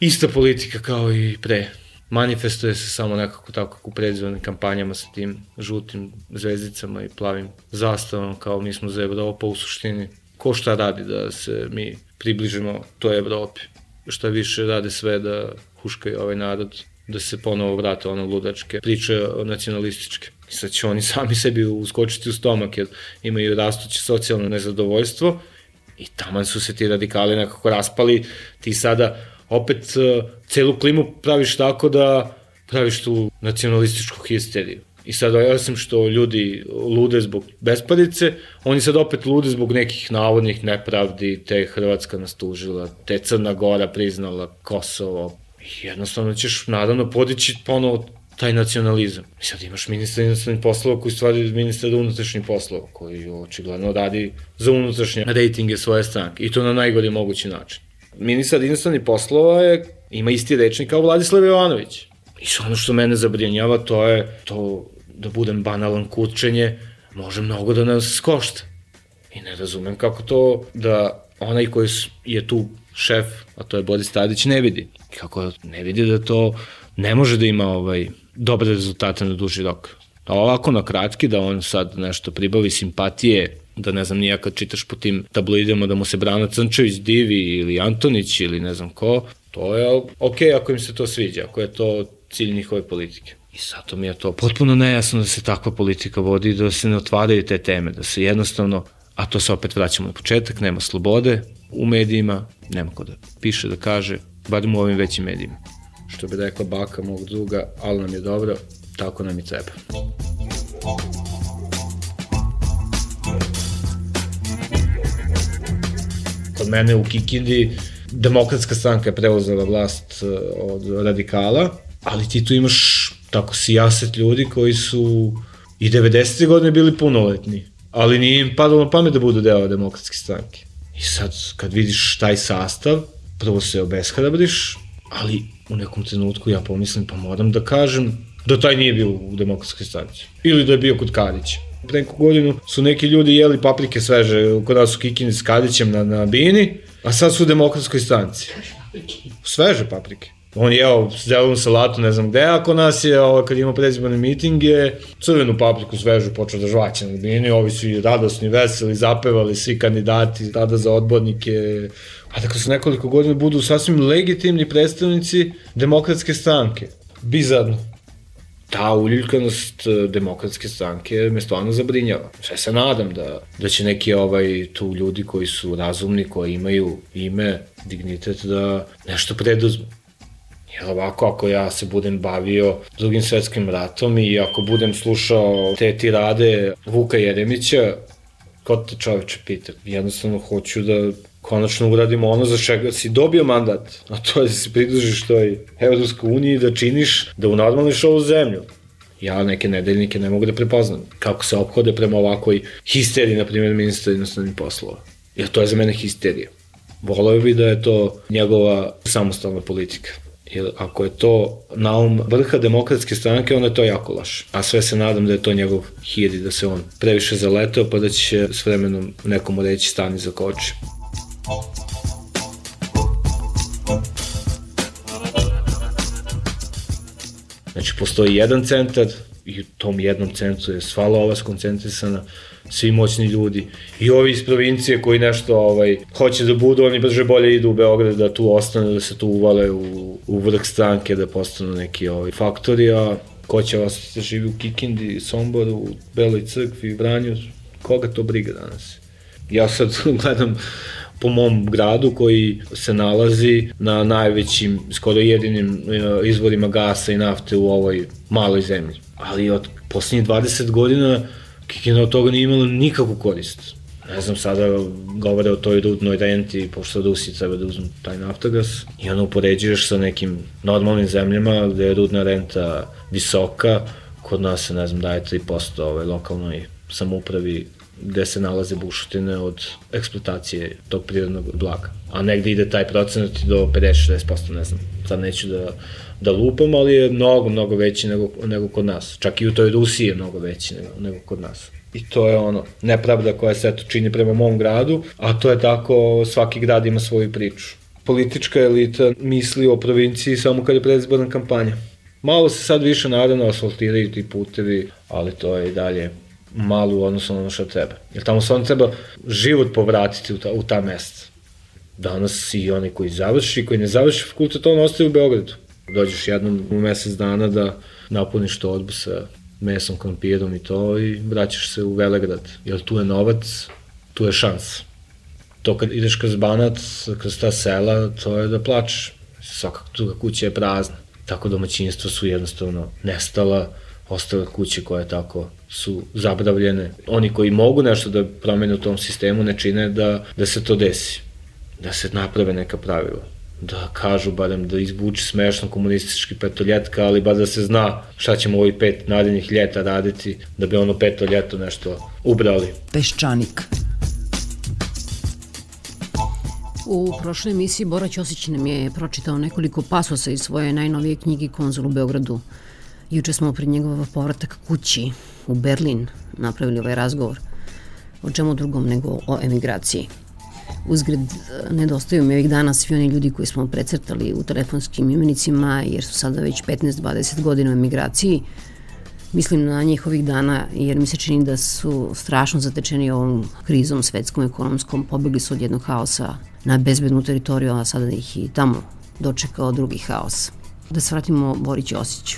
Speaker 11: Ista politika kao i pre. Manifestuje se samo nekako tako u predizbornim kampanjama sa tim žutim zvezdicama i plavim zastavom kao mi smo za Evropu u suštini. Ko šta radi da se mi približimo toj Evropi? Šta više rade sve da huškaju ovaj narod, da se ponovo vrate ono ludačke priče nacionalističke. I sad će oni sami sebi uskočiti u stomak jer imaju rastuće socijalno nezadovoljstvo i taman su se ti radikali nekako raspali. Ti sada opet celu klimu praviš tako da praviš tu nacionalističku histeriju. I sad, osim što ljudi lude zbog besparice, oni sad opet lude zbog nekih navodnih nepravdi, te Hrvatska nas tužila, te Crna Gora priznala Kosovo. I jednostavno ćeš, naravno, podići ponovo taj nacionalizam. I sad imaš ministra inostranih poslova koji stvari ministra unutrašnjih poslova, koji očigledno radi za unutrašnje rejtinge svoje stranke. I to na najgori mogući način. Ministar inostranih poslova je, ima isti rečnik kao Vladislav Jovanović. I ono što mene zabrinjava, to je to, da budem banalan, kurčenje, može mnogo da nas košta. I ne razumem kako to da onaj koji je tu šef, a to je Boris Tadić, ne vidi. Kako ne vidi da to ne može da ima ovaj, dobre rezultate na duži rok. A ovako na kratki, da on sad nešto pribavi simpatije, da ne znam nija kad čitaš po tim tabloidima da mu se Brana Crnčević divi ili Antonić ili ne znam ko, to je okej ako im se to sviđa, ako je to cilj njihove politike. I zato mi je to potpuno nejasno da se takva politika vodi, da se ne otvaraju te teme, da se jednostavno, a to se opet vraćamo na početak, nema slobode u medijima, nema ko da piše, da kaže, barem u ovim većim medijima. Što bi rekla baka mog druga, ali nam je dobro, tako nam i treba. Kod mene u Kikindi Demokratska stranka je preuzela vlast od radikala, ali ti tu imaš tako sijaset ljudi koji su i devedesete godine bili punoletni, ali nije im padalo na pamet da budu deo Demokratske stranke. I sad, kad vidiš taj sastav, prvo se obeshrabriš, ali u nekom trenutku ja pomislim, pa moram da kažem da taj nije bio u Demokratskoj stranci. Ili da je bio kod Kadića. Pre neku godinu su neki ljudi jeli paprike sveže, kod nas u Kikini s Kadićem na, na bini, a sad su u Demokratskoj stranci. Sveže paprike. On je jeo zelenu salatu, ne znam gde, a kod nas je, ovo, kad ima predizborne mitinge, crvenu papriku svežu počeo da žvaće na bini, ovi su i radosni, veseli, zapevali svi kandidati, tada za odbornike, a dakle su nekoliko godina budu sasvim legitimni predstavnici Demokratske stranke. Bizarno. Ta uljuljkanost Demokratske stranke me stvarno zabrinjava. Sve se nadam da, da će neki ovaj, tu ljudi koji su razumni, koji imaju ime, dignitet, da nešto preduzmu. Jer ovako, ako ja se budem bavio Drugim svetskim ratom i ako budem slušao te tirade Vuka Jeremića, ko te čoveče pita? Jednostavno hoću da konačno uradimo ono za čega si dobio mandat, a to je da se pridružiš toj Evropskoj uniji, da činiš, da unormališ ovu zemlju. Ja neke nedeljnike ne mogu da prepoznam kako se ophode prema ovakvoj histeriji, na primjer, ministra inostranih poslova. Jer to je za mene histerija. Voleo bi da je to njegova samostalna politika. Jer ako je to naum vrha Demokratske stranke, onda je to jako laš. A sve se nadam da je to njegov hir i da se on previše zaleteo, pa da će s vremenom nekomu reći stani za koči. Znači, postoji jedan centar i u tom jednom centru je sva lova skoncentrisana, svi moćni ljudi i ovi iz provincije koji nešto ovaj, hoće da budu, oni brže bolje idu u Beograd da tu ostane, da se tu uvale u, u vrh stranke, da postanu neki ovaj, faktori, a ko će vas da živi u Kikindi, Somboru, u Beloj crkvi, Vranju, koga to briga danas? Ja sad gledam po mom gradu koji se nalazi na najvećim, skoro jedinim izvorima gasa i nafte u ovoj maloj zemlji. Ali od posljednjih dvadeset godina Kikinda od toga nije imala nikakvu korist. Ne znam, sada govore o toj rudnoj renti, pošto Rusi treba da uzmu taj naftagas i ono upoređuješ sa nekim normalnim zemljama gde je rudna renta visoka, kod nas se, ne znam, daje tri posto ovaj, lokalnoj samoupravi gde se nalaze bušotine od eksploatacije tog prirodnog blaga. A negde ide taj procenat do pedeset do šezdeset posto, ne znam, sad neću da, da lupam, ali je mnogo, mnogo veći nego, nego kod nas. Čak i u toj Rusiji je mnogo veći nego, nego kod nas. I to je ono, nepravda koja se eto čini prema mom gradu, a to je tako, svaki grad ima svoju priču. Politička elita misli o provinciji samo kad je predizborna kampanja. Malo se sad više naravno asfaltiraju ti putevi, ali to je i dalje malo u odnosu na ono što treba. Jer tamo stvarno treba život povratiti u ta, u ta mesta. Danas i oni koji završi, koji ne završi fakultet, on ostaje u Beogradu. Dođeš jednom u mesec dana da napuniš torbu sa mesom, krompirom i to i vraćaš se u Velegrad. Jer tu je novac, tu je šans. To kad ideš kroz Banat, kroz ta sela, to je da plačeš. Svaka druga kuća je prazna. Tako domaćinstva su jednostavno nestala, ostale kuće koje tako su zabravljene. Oni koji mogu nešto da promene u tom sistemu ne čine da, da se to desi. Da se naprave neka pravila. Da kažu barem da izbuči smešno komunistički petoljetka, ali bar da se zna šta ćemo ovih pet narednih ljeta raditi da bi ono peto ljeto nešto ubrali.
Speaker 8: Peščanik. U prošloj emisiji Bora Ćosić nam je pročitao nekoliko pasosa iz svoje najnovije knjige Konzul u Beogradu. Juče smo pred njegov povratak kući u Berlin napravili ovaj razgovor. O čemu drugom nego o emigraciji. Uzgred, nedostaju mi ovih dana svi oni ljudi koji smo precrtali u telefonskim imenicima, jer su sada već petnaest do dvadeset godina u emigraciji. Mislim na njih ovih dana, jer mi se čini da su strašno zatečeni ovom krizom svetskom, ekonomskom, pobegli su od jednog haosa na bezbednu teritoriju, a sada ih i tamo dočekao drugi haos. Da se vratimo Bori Ćosiću.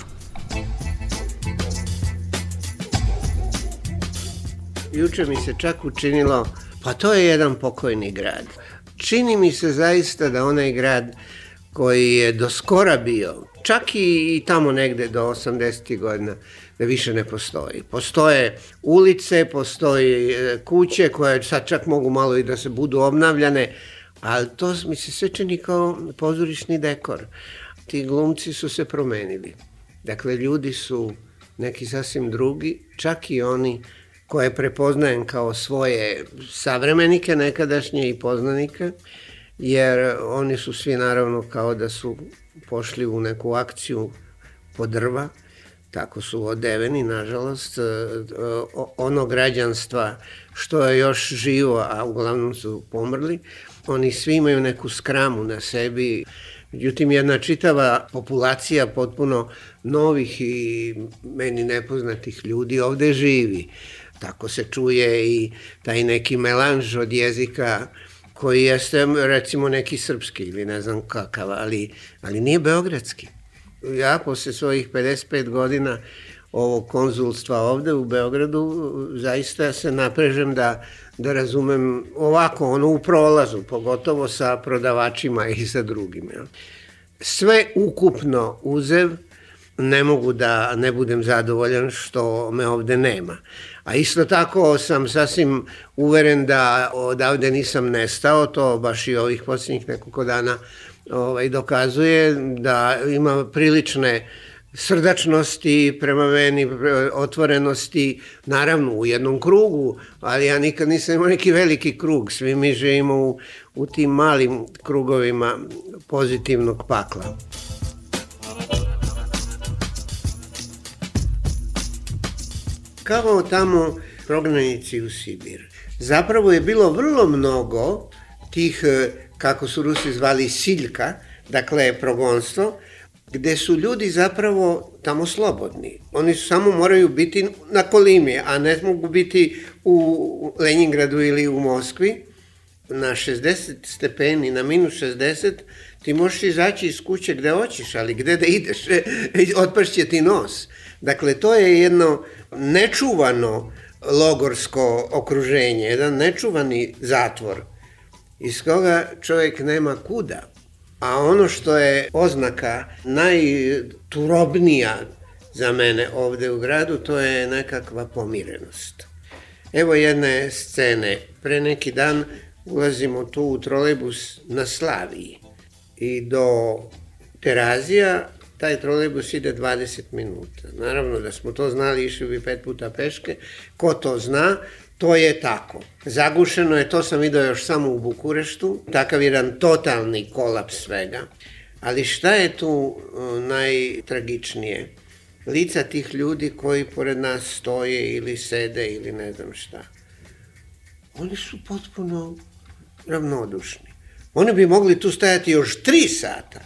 Speaker 12: Juče mi se čak učinilo, pa to je jedan pokojni grad. Čini mi se zaista da onaj grad koji je do skora bio, čak i, i tamo negde do osamdesetih godina, da više ne postoji. Postoje ulice, postoji kuće koje sad čak mogu malo i da se budu obnavljane, ali to mi se sve čini kao pozorišni dekor. Ti glumci su se promenili. Dakle, ljudi su neki sasvim drugi, čak i oni koje prepoznajem kao svoje savremenike nekadašnje i poznanike, jer oni su svi naravno kao da su pošli u neku akciju po drva, tako su odeveni, nažalost, ono građanstva što je još živo, a uglavnom su pomrli, oni svi imaju neku skramu na sebi. Međutim, jedna čitava populacija potpuno novih i meni nepoznatih ljudi ovde živi. Tako se čuje i taj neki melanž od jezika koji jeste recimo neki srpski ili ne znam kakav, ali, ali nije beogradski. Ja posle svojih pedeset pet godina ovog konzulstva ovde u Beogradu zaista se naprežem da, da razumem ovako, ono u prolazu, pogotovo sa prodavačima i sa drugim. Ja. Sve ukupno uzev, ne mogu da ne budem zadovoljan što me ovde nema. A isto tako sam sasvim uveren da odavde nisam nestao, to baš i ovih posljednjih nekoliko dana ovaj, dokazuje da ima prilične srdačnosti prema meni, otvorenosti, naravno u jednom krugu, ali ja nikad nisam imao neki veliki krug, svi mi živimo u, u tim malim krugovima pozitivnog pakla. Kao tamo prognanici u Sibir. Zapravo je bilo vrlo mnogo tih, kako su Rusi zvali, siljka, dakle progonstvo, gde su ljudi zapravo tamo slobodni. Oni samo moraju biti na Kolimi, a ne mogu biti u Leningradu ili u Moskvi. Na šezdeset stepeni, na minus šezdeset, ti možeš izaći iz kuće gde hoćeš, ali gde da ideš, otpašće ti nos. Dakle, to je jedno nečuvano logorsko okruženje, jedan nečuvani zatvor. iz koga čovjek nema kuda. A ono što je oznaka najturobnija za mene ovde u gradu, to je nekakva pomirenost. Evo jedne scene. Pre neki dan ulazimo tu u trolejbus na Slaviji i do Terazija taj trolejbus ide dvadeset minuta. Naravno da smo to znali, išli bi pet puta peške. Ko to zna, to je tako. Zagušeno je, to sam vidio još samo u Bukureštu, takav jedan totalni kolaps svega. Ali šta je tu najtragičnije? Lica tih ljudi koji pored nas stoje ili sede ili ne znam šta. Oni su potpuno ravnodušni. Oni bi mogli tu stajati još tri sata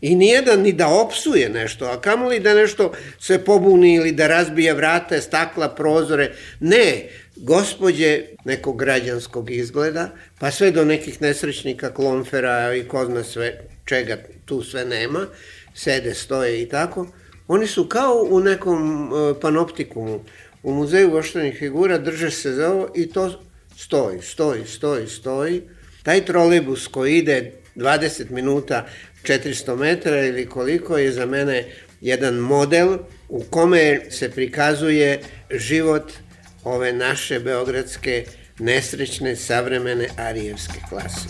Speaker 12: i nijedan ni da opsuje nešto, a kamoli da nešto se pobuni ili da razbije vrata, stakla, prozore. Ne, gospođe nekog građanskog izgleda, pa sve do nekih nesrećnika, klonfera i ko zna sve, čega tu sve nema, sede, stoje i tako. Oni su kao u nekom panoptikumu, u muzeju voštanih figura, drže se za ovo i to stoji, stoji, stoji, stoji. Taj trolejbus koji ide dvadeset minuta, četiristo metara ili koliko je za mene jedan model u kome se prikazuje život ove naše beogradske nesrećne savremene arijevske klase.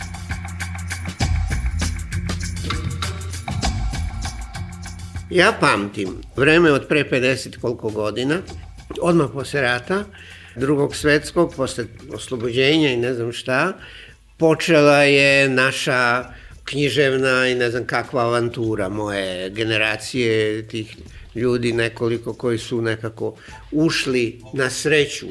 Speaker 12: Ja pamtim vreme od pre pedeset koliko godina, odmah posle rata, drugog svetskog, posle oslobođenja i ne znam šta, počela je naša književna i ne znam kakva avantura moje generacije, tih ljudi nekoliko koji su nekako ušli na sreću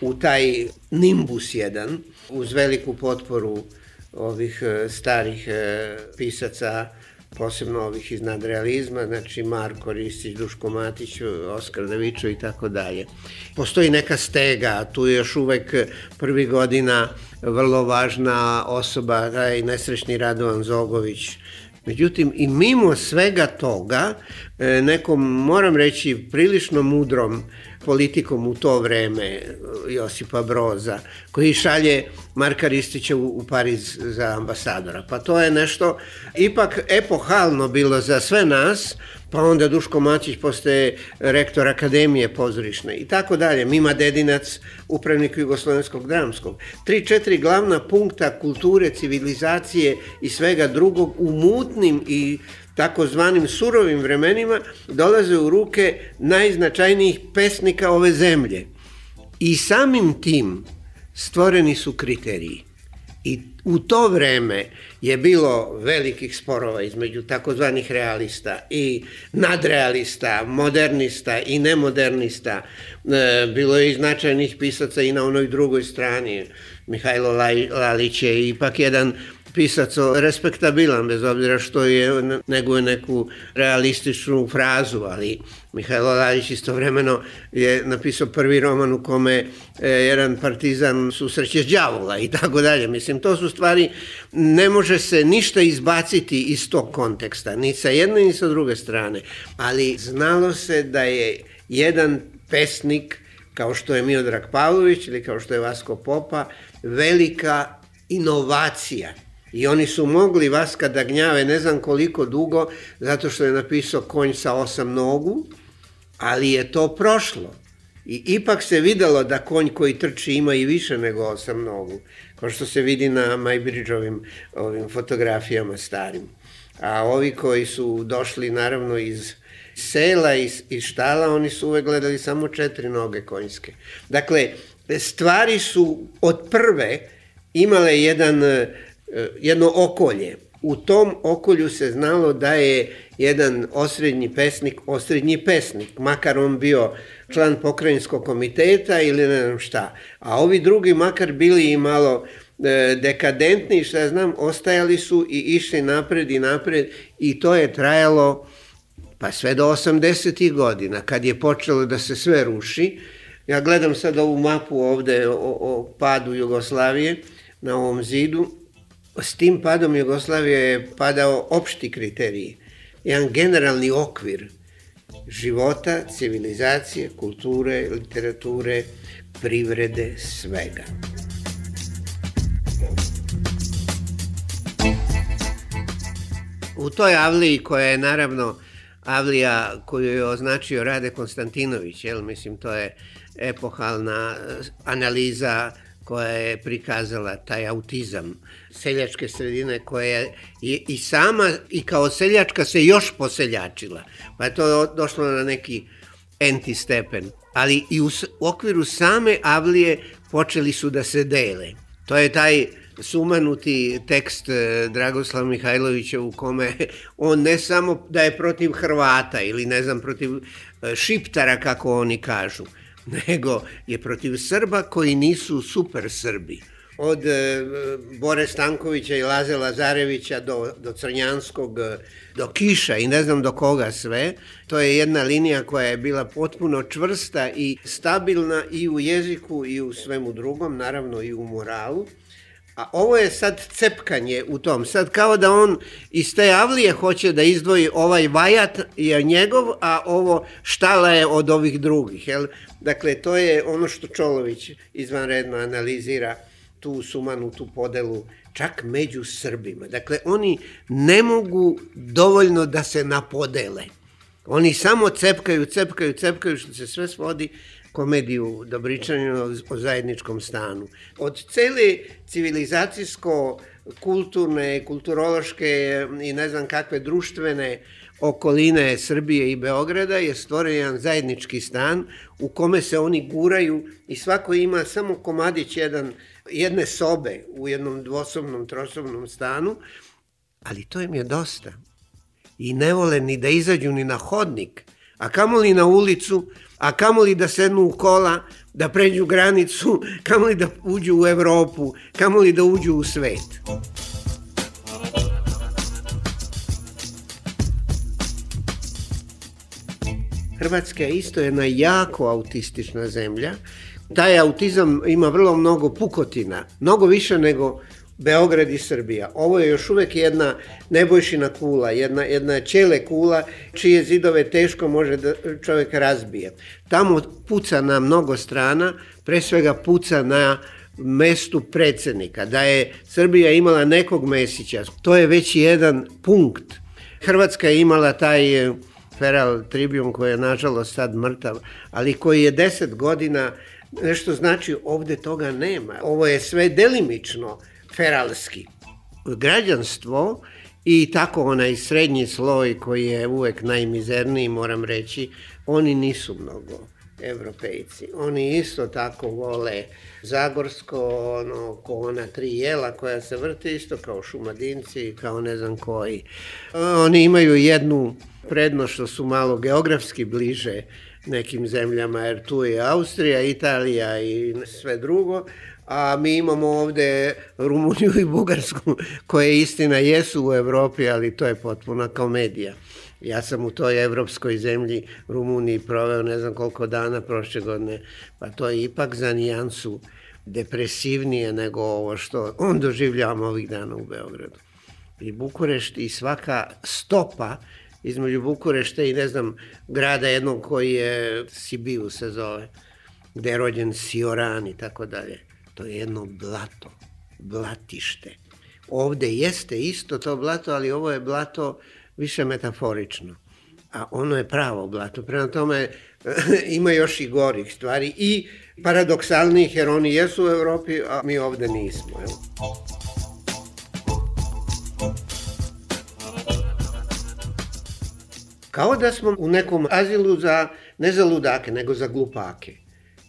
Speaker 12: u taj nimbus jedan, uz veliku potporu ovih starih pisaca, posebno ovih iz nadrealizma, znači Marko Ristić, Duško Matić, Oskar Davičo i tako dalje. Postoji neka stega, tu je još uvek prvi godina vrlo važna osoba, taj nesrećni Radovan Zogović. Međutim, i mimo svega toga, nekom, moram reći, prilično mudrom politikom u to vreme, Josipa Broza, koji šalje Marka Ristića u, u Pariz za ambasadora. Pa to je nešto ipak epohalno bilo za sve nas, pa onda Duško Matić postaje rektor Akademije pozorišne i tako dalje. Mima Dedinac, upravnik Jugoslovenskog dramskog. Tri, četiri glavna punkta kulture, civilizacije i svega drugog u mutnim i takozvanim surovim vremenima dolaze u ruke najznačajnijih pesnika ove zemlje. I samim tim stvoreni su kriteriji. I u to vreme je bilo velikih sporova između takozvanih realista i nadrealista, modernista i nemodernista. Bilo je i značajnih pisaca i na onoj drugoj strani. Mihajlo Lalić je ipak jedan pisac respektabilan, bez obzira što je neguje neku realističnu frazu, ali Mihajlo Lalić istovremeno je napisao prvi roman u kome jedan partizan susreće đavola i tako dalje. Mislim, to su stvari, ne može se ništa izbaciti iz tog konteksta, ni sa jedne ni sa druge strane, ali znalo se da je jedan pesnik, kao što je Miodrag Pavlović ili kao što je Vasko Popa, velika inovacija. I oni su mogli Vaska da gnjave ne znam koliko dugo, zato što je napisao Konj sa osam nogu, ali je to prošlo. I ipak se videlo da konj koji trči ima i više nego osam nogu, kao što se vidi na Majbridžovim ovim fotografijama starim. A ovi koji su došli naravno iz sela, iz, iz štala, oni su uvek gledali samo četiri noge konjske. Dakle, stvari su od prve imale jedan, jedno okolje. U tom okolju se znalo da je jedan osrednji pesnik, osrednji pesnik, makar on bio član pokrajinskog komiteta ili ne znam šta. A ovi drugi, makar bili i malo dekadentni, šta znam, ostajali su i išli napred i napred i to je trajalo pa sve do osamdesetih godina, kad je počelo da se sve ruši. Ja gledam sad ovu mapu ovde o, o padu Jugoslavije na ovom zidu. S tim padom Jugoslavije je padao opšti kriteriji, jedan generalni okvir života, civilizacije, kulture, literature, privrede, svega. U toj Avliji koja je naravno Avlija koju je označio Rade Konstantinović, jel? Mislim, to je epohalna analiza koja je prikazala taj autizam seljačke sredine koja je i sama i kao seljačka se još poseljačila. Pa je to došlo na neki enti stepen. Ali i u okviru same Avlije počeli su da se dele. To je taj sumanuti tekst Dragoslava Mihajlovića u kome on ne samo da je protiv Hrvata ili ne znam protiv Šiptara kako oni kažu, nego je protiv Srba koji nisu super Srbi. Od e, Bore Stankovića i Laze Lazarevića do, do Crnjanskog, do Kiša i ne znam do koga sve. To je jedna linija koja je bila potpuno čvrsta i stabilna i u jeziku i u svemu drugom, naravno i u moralu. A ovo je sad cepkanje u tom. Sad kao da on iz te Avlije hoće da izdvoji ovaj vajat je njegov, a ovo štala je od ovih drugih. Jel? Dakle, to je ono što Čolović izvanredno analizira, tu sumanutu podelu čak među Srbima. Dakle, oni ne mogu dovoljno da se napodele. Oni samo cepkaju, cepkaju, cepkaju, što se sve svodi komediju Dobričanina o zajedničkom stanu. Od cele civilizacijsko-kulturne, kulturološke i ne znam kakve društvene okoline Srbije i Beograda je stvoren jedan zajednički stan u kome se oni guraju i svako ima samo komadić jedan, jedne sobe u jednom dvosobnom, trosobnom stanu, ali to im je dosta. I ne vole ni da izađu ni na hodnik, a kamoli na ulicu, a kamoli da sednu u kola, da pređu granicu, kamoli da uđu u Evropu, kamoli da uđu u svet. Hrvatska je isto jedna jako autistična zemlja. Taj autizam ima vrlo mnogo pukotina, mnogo više nego Beograd i Srbija. Ovo je još uvek jedna Nebojšina kula, jedna, jedna ćele kula čije zidove teško može da čovjek razbije. Tamo puca na mnogo strana, pre svega puca na mestu predsjednika. Da je Srbija imala nekog Mesića, to je već jedan punkt. Hrvatska je imala taj Feral Tribune koji je nažalost sad mrtav, ali koji je deset godina, nešto znači ovde toga nema. Ovo je sve delimično feralski. Građanstvo i tako onaj srednji sloj koji je uvek najmizerniji, moram reći, oni nisu mnogo Evropejci. Oni isto tako vole Zagorsko, ono, ko ona tri jela koja se vrte, isto kao Šumadinci, kao ne znam koji. Oni imaju jednu prednost što su malo geografski bliže nekim zemljama, jer tu je Austrija, Italija i sve drugo, a mi imamo ovde Rumuniju i Bugarsku, koje istina jesu u Evropi, ali to je potpuna komedija. Ja sam u toj evropskoj zemlji Rumuniji proveo ne znam koliko dana prošle godine, pa to je ipak za nijansu depresivnije nego ovo što on doživljavamo ovih dana u Beogradu. I Bukurešt i svaka stopa između Bukurešta i ne znam grada jednog koji je Sibiu se zove, gde je rođen Sioran i tako dalje. To je jedno blato, blatište. Ovde jeste isto to blato, ali ovo je blato više metaforično. A ono je pravo blato. Prema tome ima još i gorih stvari i paradoksalnijih, jer oni jesu u Evropi, a mi ovde nismo. Evo. Kao da smo u nekom azilu za, ne za ludake, nego za glupake.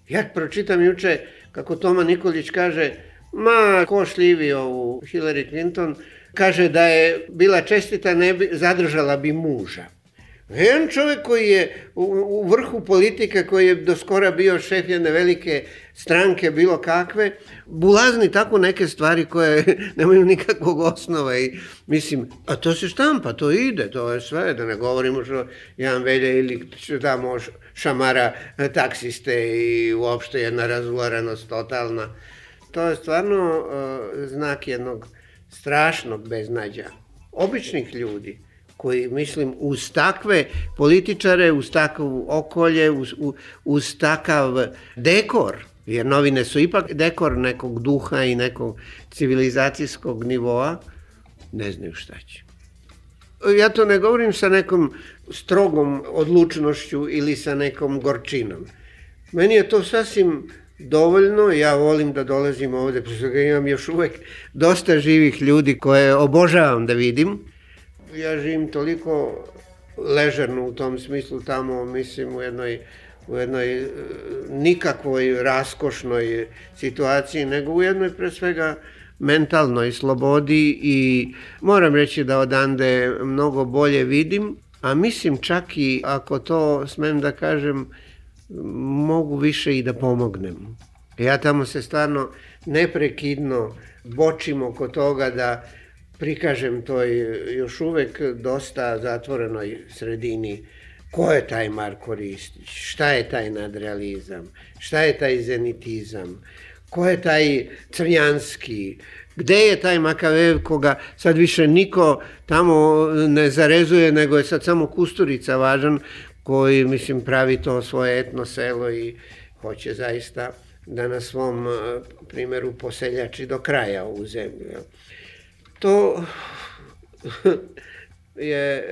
Speaker 12: Ja pročitam juče kako Toma Nikolić kaže, ma ko šljivio u Hillary Clinton, kaže da je bila čestita, ne bi, zadržala bi muža. Jedan čovjek koji je u, u vrhu politike, koji je do skora bio šef jedne velike stranke, bilo kakve, bulazni tako neke stvari koje nemaju nikakvog osnova i mislim, a to se štampa, to ide, to je sve, da ne govorimo što Jan Velja ili što tamo šamara taksiste i uopšte jedna razularenost totalna. To je stvarno uh, znak jednog strašnog beznađa. Običnih ljudi koji, mislim, uz takve političare, uz takvu okolje, uz, uz takav dekor, jer novine su ipak dekor nekog duha i nekog civilizacijskog nivoa, ne znaju šta će. Ja to ne govorim sa nekom strogom odlučnošću ili sa nekom gorčinom. Meni je to sasvim dovoljno, ja volim da dolazim ovde, pošto imam još uvek dosta živih ljudi koje obožavam da vidim. Ja živim toliko ležerno u tom smislu tamo, mislim, u jednoj, u jednoj nikakvoj raskošnoj situaciji, nego u jednoj pre svega mentalnoj slobodi i moram reći da odande mnogo bolje vidim, a mislim čak i ako to smem da kažem, mogu više i da pomognem. Ja tamo se stvarno neprekidno bočim oko toga da prikažem toj još uvek dosta zatvorenoj sredini ko je taj Marko Ristić, šta je taj nadrealizam, šta je taj zenitizam, ko je taj Crnjanski, gde je taj Makavejev koga sad više niko tamo ne zarezuje, nego je sad samo Kusturica važan, koji, mislim, pravi to svoje etno selo i hoće zaista da na svom primjeru poseljači do kraja ovu zemlju. To je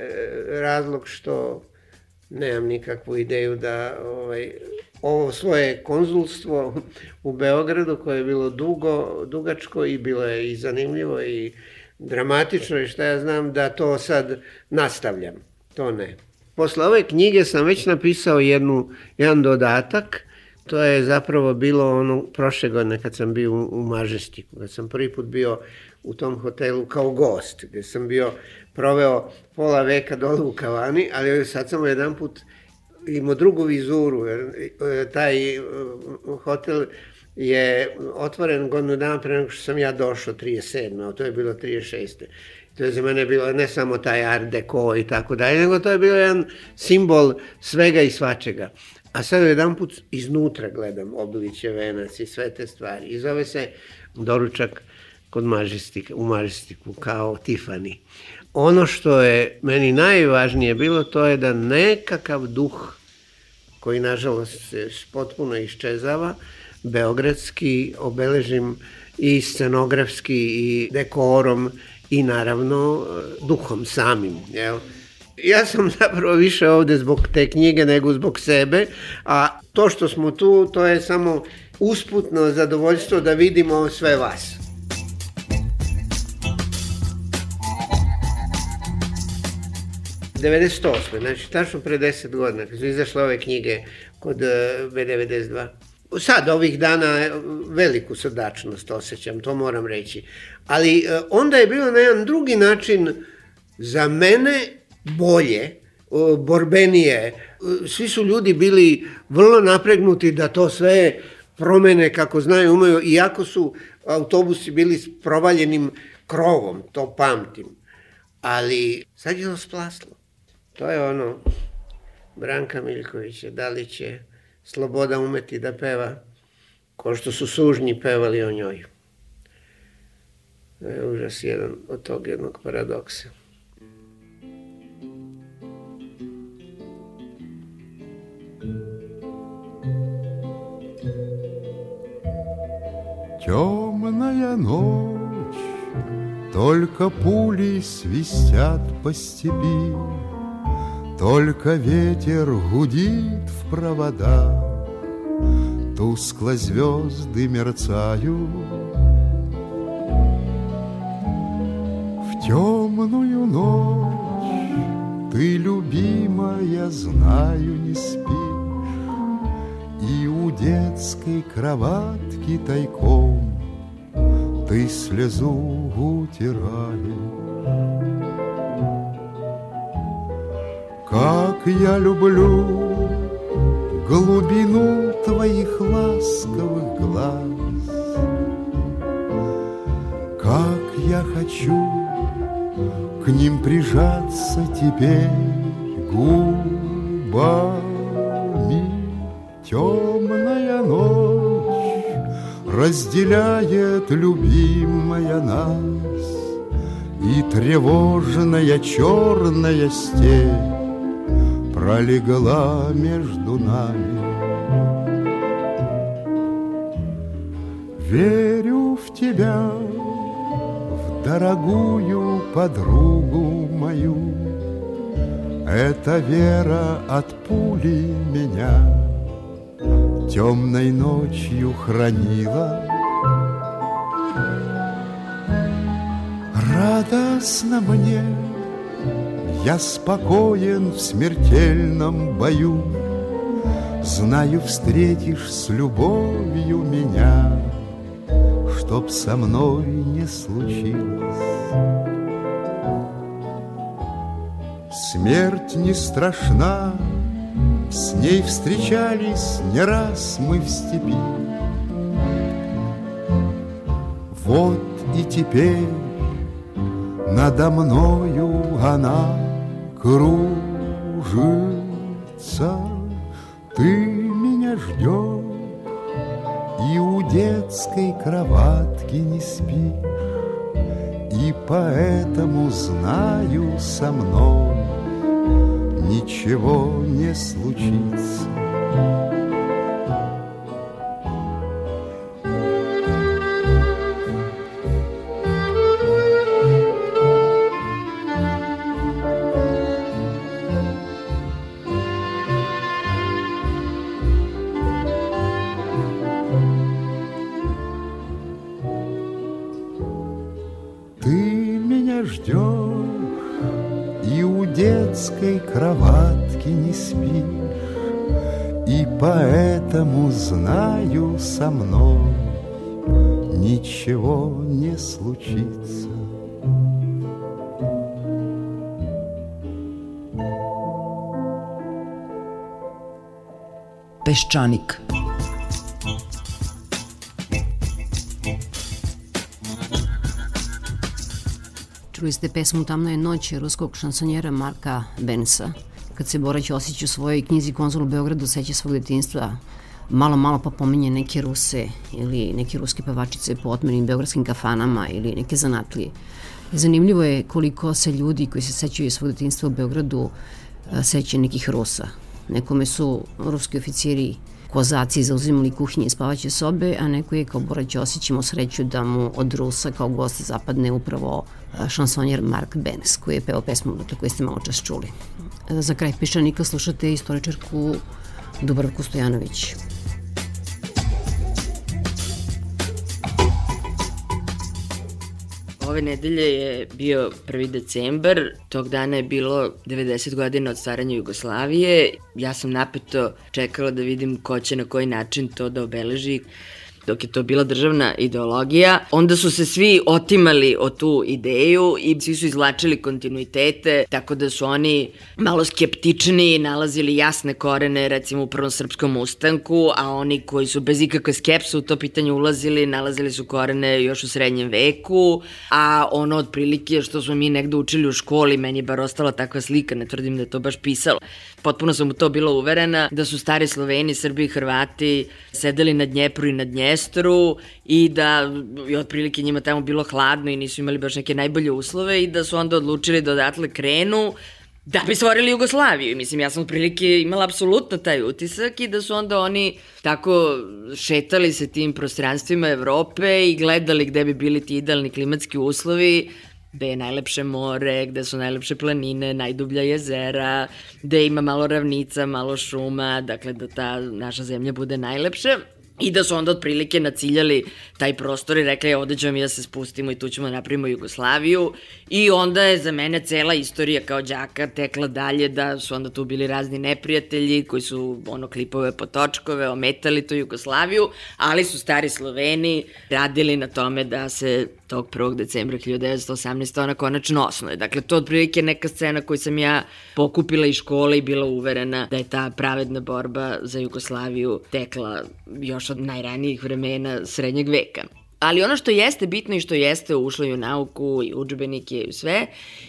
Speaker 12: razlog što nemam nikakvu ideju da ovaj, ovo svoje konzulstvo u Beogradu, koje je bilo dugo, dugačko i bilo je i zanimljivo i dramatično i šta ja znam, da to sad nastavljam. To ne. Posle ove knjige sam već napisao jednu, jedan dodatak. To je zapravo bilo ono prošle godine kad sam bio u Mažestiku, kad sam prvi put bio u tom hotelu kao gost, gde sam bio proveo pola veka dole u kavani, ali sad sam jedan put imao drugu vizuru, jer taj hotel je otvoren godinu dana pre nego što sam ja došao, trideset sedme, a to je bilo trideset šeste. To je za mene bilo ne samo taj art deco i tako dalje, nego to je bilo jedan simbol svega i svačega. A sad jedan put iznutra gledam Obilićev venac i sve te stvari. I zove se Doručak kod Mažestika, u Mažestiku, kao Tiffany. Ono što je meni najvažnije bilo, to je da nekakav duh, koji nažalost se potpuno iščezava, beogradski, obeležim i scenografski i dekorom i naravno duhom samim, jel? Ja sam zapravo više ovde zbog te knjige nego zbog sebe, a to što smo tu, to je samo usputno zadovoljstvo da vidimo sve vas. devedeset osme, znači tačno pre deset godina, kad su izašle ove knjige kod B devedeset dva. Sad, ovih dana, veliku srdačnost osjećam, to moram reći. Ali onda je bilo na jedan drugi način za mene bolje, borbenije. Svi su ljudi bili vrlo napregnuti da to sve promene kako znaju, umeju, iako su autobusi bili s provaljenim krovom, to pamtim. Ali sad je to splaslo. To je ono Branka Miljkovića, da li će Sloboda umeti da peva ko što su sužnji pevali o njoj. To je užas jedan od tog jednog paradoksa.
Speaker 13: Темная ночь, только пули свистят по степи, только ветер гудит в провода, тускло звезды мерцают. В темную ночь ты, любимая, знаю, не спишь, и у детской кроватки тайком ты слезу утираешь. Как я люблю глубину твоих ласковых глаз, как я хочу к ним прижаться теперь губами. Темная ночь разделяет, любимая, нас, и тревожная черная степь пролегла между нами. Верю в тебя, в дорогую подругу мою. Эта вера от пули меня темной ночью хранила. Радостно мне, я спокоен в смертельном бою. Знаю, встретишь с любовью меня, чтоб со мной не случилось. Смерть не страшна, с ней встречались не раз мы в степи. Вот и теперь надо мною она кружится. Ты меня ждешь и у детской кроватки не спишь, и поэтому знаю, со мной ничего не случится. Кроватки не спишь, и поэтому знаю, со мной ничего не случится.
Speaker 7: Peščanik.
Speaker 8: Čuli ste pesmu Tamna je noć ruskog šansonjera Marka Benesa. Kad se Bora Ćosić u svojoj knjizi Konzul u Beogradu seća svog detinjstva, malo malo pa pominje neke Ruse ili neke ruske pevačice po otmenim beogradskim kafanama ili neke zanatlije. Zanimljivo je koliko se ljudi koji se sećaju svog detinjstva u Beogradu sećaju nekih Rusa. Nekome su ruski oficiri kozaci zauzimali kuhinje i spavaće sobe, a neko je kao Bora Ćosić imao sreću da mu od Rusa kao gost zapadne upravo šansonjer Mark Benes, koji je peo pesmu koju ste malo čas čuli. Za kraj Peščanika slušate istoričarku Dubravku Stojanović.
Speaker 7: Ove nedelje je bio prvi decembar, tog dana je bilo devedeset godina od stvaranja Jugoslavije. Ja sam napeto čekala da vidim ko će na koji način to da obeleži. Dok je to bila državna ideologija, onda su se svi otimali o tu ideju i svi su izvlačili kontinuitete, tako da su oni malo skeptični, nalazili jasne korene, recimo u Prvom srpskom ustanku, a oni koji su bez ikakve skepse u to pitanje ulazili, nalazili su korene još u srednjem veku, a ono otprilike što smo mi negde učili u školi, meni je bar ostala takva slika, ne tvrdim da je to baš pisalo. Potpuno sam u to bila uverena da su stari Sloveni, Srbi i Hrvati sedeli na Dnjepru i na Dnjestru i da je otprilike njima tamo bilo hladno i nisu imali baš neke najbolje uslove i da su onda odlučili da odatle krenu da bi stvorili Jugoslaviju. Mislim, ja sam otprilike imala apsolutno taj utisak i da su onda oni tako šetali se tim prostranstvima Evrope i gledali gde bi bili ti idealni klimatski uslovi, gde je najlepše more, gde su najlepše planine, najdublja jezera, gde ima malo ravnica, malo šuma, dakle da ta naša zemlja bude najlepša. I da su onda otprilike naciljali taj prostor i rekli, ovde ćemo mi da se spustimo i tu ćemo da napravimo Jugoslaviju. I onda je za mene cela istorija kao đaka tekla dalje, da su onda tu bili razni neprijatelji koji su ono klipove po točkove, ometali tu Jugoslaviju, ali su stari Sloveni radili na tome da se tog prvog decembra hiljadu devetsto osamnaeste. ona konačno osnuje. Dakle, to otprilike neka scena koju sam ja pokupila iz škole i bila uverena da je ta pravedna borba za Jugoslaviju tekla još od najranijih vremena srednjeg veka. Ali ono što jeste bitno i što jeste ušlo i u nauku i udžbenike i u sve,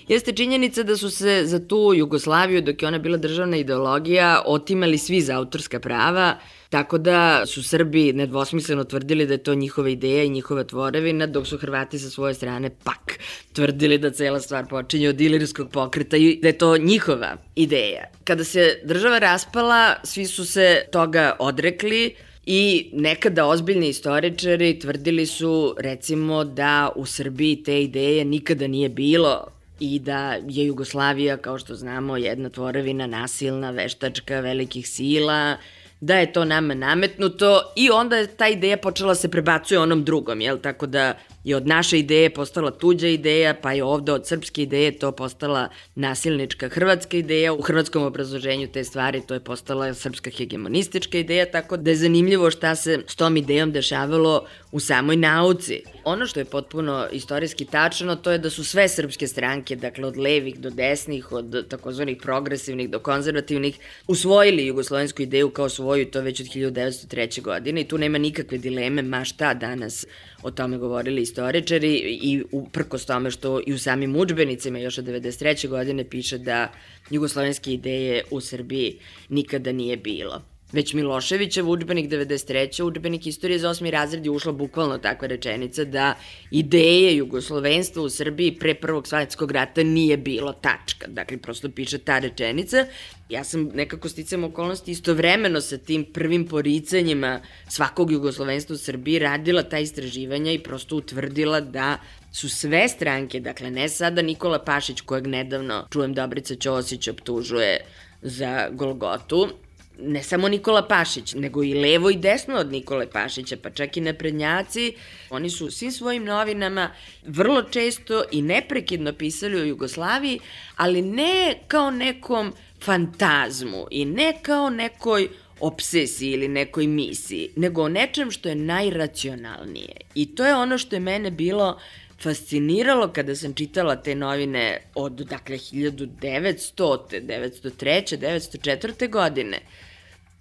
Speaker 7: jeste činjenica da su se za tu Jugoslaviju, dok je ona bila državna ideologija, otimali svi za autorska prava, tako da su Srbi nedvosmisleno tvrdili da je to njihova ideja i njihova tvorevina, dok su Hrvati sa svoje strane pak tvrdili da cela stvar počinje od ilirskog pokreta i da je to njihova ideja. Kada se država raspala, svi su se toga odrekli, I nekada ozbiljni istoričari tvrdili su, recimo, da u Srbiji te ideje nikada nije bilo i da je Jugoslavija, kao što znamo, jedna tvorevina nasilna, veštačka, velikih sila, da je to nama nametnuto i onda je ta ideja počela se prebacuje onom drugom, jel? Tako da je od naše ideje postala tuđa ideja, pa je ovde od srpske ideje to postala nasilnička hrvatska ideja. U hrvatskom obrazloženju te stvari to je postala srpska hegemonistička ideja, tako da je zanimljivo šta se s tom idejom dešavalo u samoj nauci. Ono što je potpuno istorijski tačno, to je da su sve srpske stranke, dakle od levih do desnih, od takozvanih progresivnih do konzervativnih, usvojili jugoslovensku ideju kao svoju, to već od hiljadu devetsto treće. godine i tu nema nikakve dileme, ma šta danas o tome govorili istoričari i uprkos tome što i u samim udžbenicima još od devedeset treće. godine piše da jugoslovenske ideje u Srbiji nikada nije bilo. Već Miloševićev udžbenik devedeset treće. udžbenik istorije za osmi razred je ušla bukvalno takva rečenica da ideje jugoslovenstva u Srbiji pre Prvog svetskog rata nije bilo, tačka. Dakle, prosto piše ta rečenica. Ja sam nekako sticam okolnosti istovremeno sa tim prvim poricanjima svakog jugoslovenstva u Srbiji radila ta istraživanja i prosto utvrdila da su sve stranke, dakle ne sada Nikola Pašić kojeg nedavno čujem Dobrica Ćosić optužuje za Golgotu, ne samo Nikola Pašić, nego i levo i desno od Nikole Pašića, pa čak i naprednjaci, oni su svim svojim novinama vrlo često i neprekidno pisali o Jugoslaviji, ali ne kao nekom fantazmu i ne kao nekoj obsesiji ili nekoj misiji, nego o nečem što je najracionalnije. I to je ono što je mene bilo fasciniralo kada sam čitala te novine od, dakle, hiljadu devetsto, devetsto treće. devetsto četvrte. godine,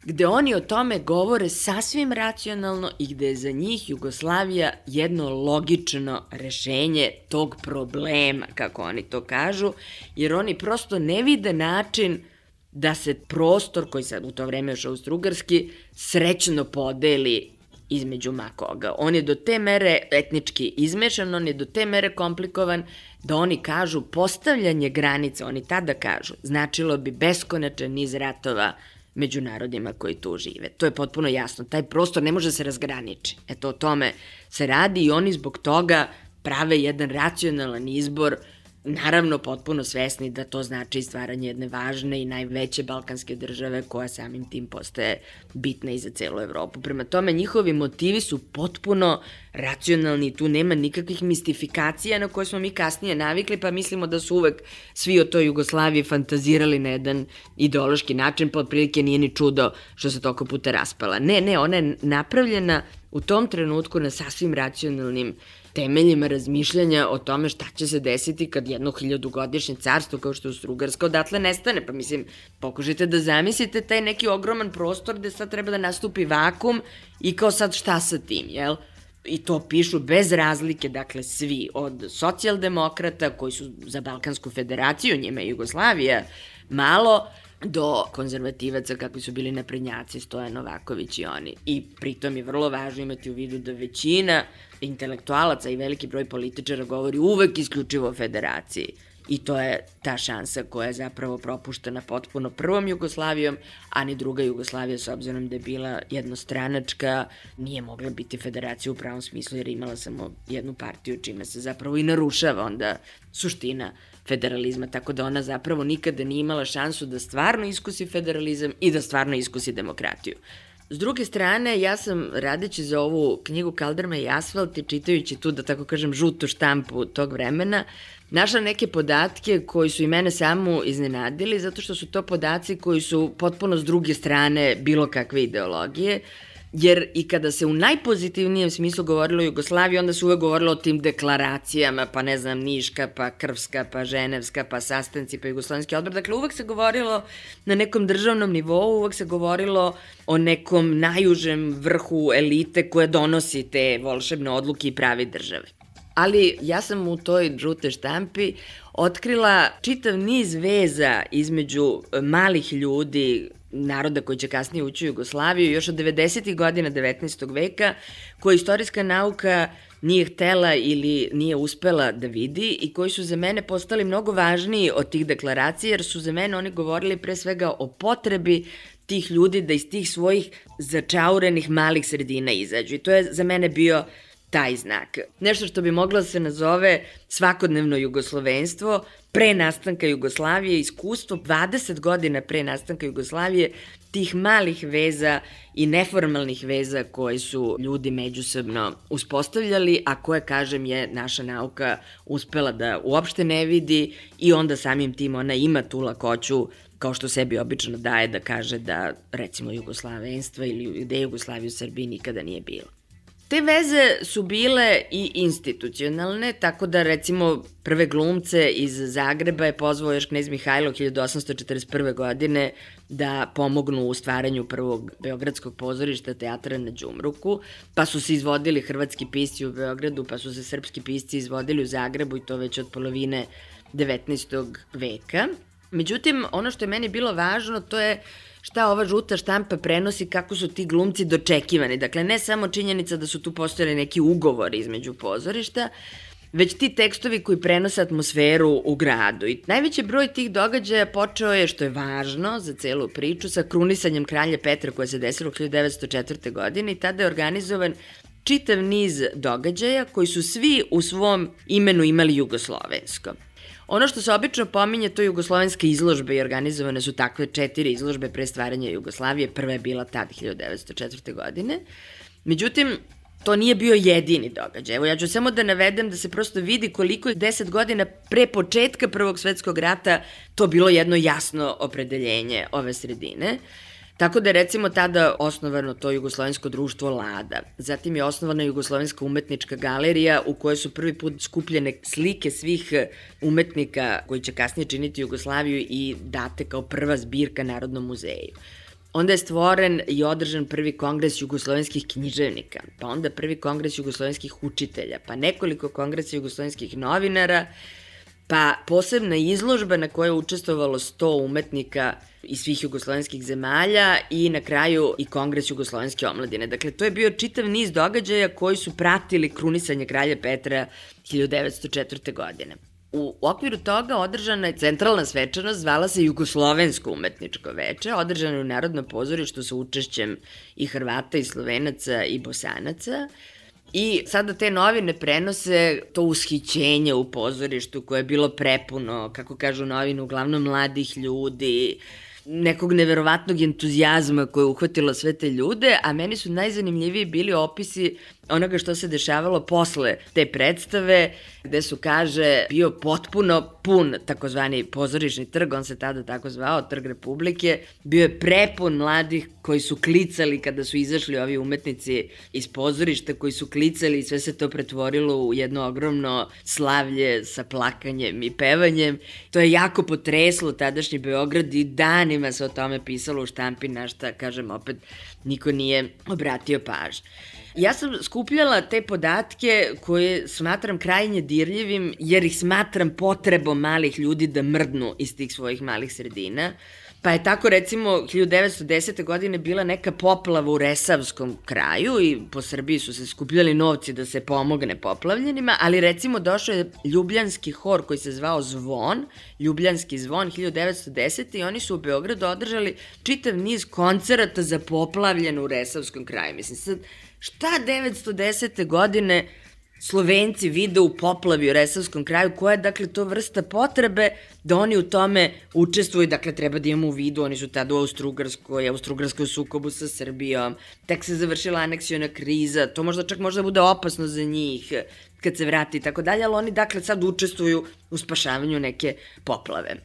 Speaker 7: gde oni o tome govore sasvim racionalno i gde je za njih Jugoslavija jedno logično rešenje tog problema, kako oni to kažu, jer oni prosto ne vide način da se prostor, koji sad u to vreme još austrougarski, srećno podeli između makoga. On je do te mere etnički izmešan, on je do te mere komplikovan da oni kažu postavljanje granice, oni tada kažu, značilo bi beskonačan niz ratova među narodima koji tu žive. To je potpuno jasno. Taj prostor ne može se razgraniči. Eto, o tome se radi i oni zbog toga prave jedan racionalan izbor, naravno potpuno svesni da to znači stvaranje jedne važne i najveće balkanske države koja samim tim postaje bitna i za celu Evropu. Prema tome, njihovi motivi su potpuno racionalni, tu nema nikakvih mistifikacija na koje smo mi kasnije navikli, pa mislimo da su uvek svi o toj Jugoslaviji fantazirali na jedan ideološki način, pa otprilike nije ni čudo što se toliko puta raspala. Ne, ne, ona je napravljena u tom trenutku na sasvim racionalnim temeljima razmišljanja o tome šta će se desiti kad jedno hiljadugodišnje carstvo kao što je Austrougarska odatle nestane. Pa mislim, pokušajte da zamislite taj neki ogroman prostor gde sad treba da nastupi vakum i kao sad šta sa tim, jel? I to pišu bez razlike, dakle svi, od socijaldemokrata koji su za Balkansku federaciju, njima je Jugoslavija malo, do konzervativaca kakvi su bili naprednjaci, Stojan Novaković i oni. I pritom je vrlo važno imati u vidu da većina intelektualaca i veliki broj političara govori uvek isključivo o federaciji. I to je ta šansa koja je zapravo propuštena potpuno prvom Jugoslavijom, a ni druga Jugoslavija, s obzirom da je bila jednostranačka, nije mogla biti federacija u pravom smislu jer imala samo jednu partiju, čime se zapravo i narušava onda suština federalizma, tako da ona zapravo nikada nije imala šansu da stvarno iskusi federalizam i da stvarno iskusi demokratiju. S druge strane, ja sam radeći za ovu knjigu Kaldrma i asfalt i čitajući tu, da tako kažem, žutu štampu tog vremena, našla neke podatke koji su i mene samu iznenadili, zato što su to podaci koji su potpuno s druge strane bilo kakve ideologije, jer i kada se u najpozitivnijem smislu govorilo o Jugoslaviji, onda se uvek govorilo o tim deklaracijama, pa ne znam, Niška, pa Krvska, pa Ženevska, pa sastanci, pa Jugoslovenski odbor. Dakle, uvek se govorilo na nekom državnom nivou, uvek se govorilo o nekom najužem vrhu elite koja donosi te volšebne odluke i pravi države. Ali ja sam u toj žute štampi otkrila čitav niz veza između malih ljudi, naroda koji će kasnije ući u Jugoslaviju, još od devedesetih godina devetnaestog veka, koje istorijska nauka nije htela ili nije uspela da vidi i koji su za mene postali mnogo važniji od tih deklaracija, jer su za mene oni govorili pre svega o potrebi tih ljudi da iz tih svojih začaurenih malih sredina izađu. I to je za mene bio taj znak. Nešto što bi moglo da se nazove svakodnevno jugoslovenstvo, pre nastanka Jugoslavije, iskustvo dvadeset godina pre nastanka Jugoslavije, tih malih veza i neformalnih veza koje su ljudi međusobno uspostavljali, a koje, kažem, je naša nauka uspela da uopšte ne vidi i onda samim tim ona ima tu lakoću, kao što sebi obično daje, da kaže da, recimo, jugoslavenstva ili ideje Jugoslavije u Srbiji nikada nije bilo. Te veze su bile i institucionalne, tako da, recimo, prve glumce iz Zagreba je pozvao još knez Mihajlo hiljadu osamsto četrdeset prve. godine da pomognu u stvaranju prvog beogradskog pozorišta teatra na Đumruku, pa su se izvodili hrvatski pisci u Beogradu, pa su se srpski pisci izvodili u Zagrebu i to već od polovine devetnaestog veka. Međutim, ono što je meni bilo važno, to je šta ova žuta štampa prenosi, kako su ti glumci dočekivani. Dakle, ne samo činjenica da su tu postojali neki ugovori između pozorišta, već ti tekstovi koji prenose atmosferu u gradu. I najveći broj tih događaja počeo je, što je važno za celu priču, sa krunisanjem kralja Petra koje se desilo hiljadu devetsto četvrte. godine i tada je organizovan čitav niz događaja koji su svi u svom imenu imali jugoslovensko. Ono što se obično pominje, to je jugoslovenska izložba i organizovane su takve četiri izložbe pre stvaranja Jugoslavije. Prva je bila tad hiljadu devetsto četvrte. godine. Međutim, to nije bio jedini događaj. Evo, ja ću samo da navedem da se prosto vidi koliko je deset godina pre početka Prvog svetskog rata to bilo jedno jasno opredeljenje ove sredine. Tako da je, recimo, tada osnovano to Jugoslovensko društvo Lada. Zatim je osnovana Jugoslovenska umetnička galerija u kojoj su prvi put skupljene slike svih umetnika koji će kasnije činiti Jugoslaviju i date kao prva zbirka Narodnom muzeju. Onda je stvoren i održan prvi kongres jugoslovenskih književnika, pa onda prvi kongres jugoslovenskih učitelja, pa nekoliko kongresa jugoslovenskih novinara, pa posebna izložba na kojoj je učestvovalo sto umetnika iz svih jugoslovenskih zemalja i na kraju i kongres jugoslovenske omladine. Dakle, to je bio čitav niz događaja koji su pratili krunisanje kralja Petra hiljadu devetsto četvrte. godine. U okviru toga održana je centralna svečanost, zvala se Jugoslovensko umetničko veče, održana je u Narodnom pozorištu sa učešćem i Hrvata i Slovenaca i Bosanaca. I sada te novine prenose to ushićenje u pozorištu koje je bilo prepuno, kako kažu novine, uglavnom mladih ljudi, nekog neverovatnog entuzijazma koje je uhvatilo sve te ljude, a meni su najzanimljiviji bili opisi onoga što se dešavalo posle te predstave, gde su, kaže, bio potpuno pun takozvani pozorišni trg, on se tada tako zvao, Trg Republike, bio je prepun mladih koji su klicali kada su izašli ovi umetnici iz pozorišta, koji su klicali i sve se to pretvorilo u jedno ogromno slavlje sa plakanjem i pevanjem. To je jako potreslo tadašnji Beograd i danima se o tome pisalo u štampi, na šta, kažem, opet niko nije obratio pažnju. Ja sam skupljala te podatke koje smatram krajnje dirljivim, jer ih smatram potrebom malih ljudi da mrdnu iz tih svojih malih sredina. Pa je tako, recimo, hiljadu devetsto desete. godine bila neka poplava u Resavskom kraju i po Srbiji su se skupljali novci da se pomogne poplavljenima, ali, recimo, došao je ljubljanski hor koji se zvao Zvon, Ljubljanski zvon hiljadu devetsto desete. i oni su u Beogradu održali čitav niz koncerata za poplavljenu u Resavskom kraju. Mislim, sad, šta devetsto desete. godine Slovenci vide u poplavi u Resavskom kraju, koja je, dakle, to vrsta potrebe da oni u tome učestvuju, dakle, treba da imamo u vidu, oni su tada u Austrougarskoj, Austrougarskoj sukobu sa Srbijom, tek se završila aneksiona kriza, to možda čak možda bude opasno za njih kad se vrati i tako dalje, ali oni, dakle, sad učestvuju u spašavanju neke poplave.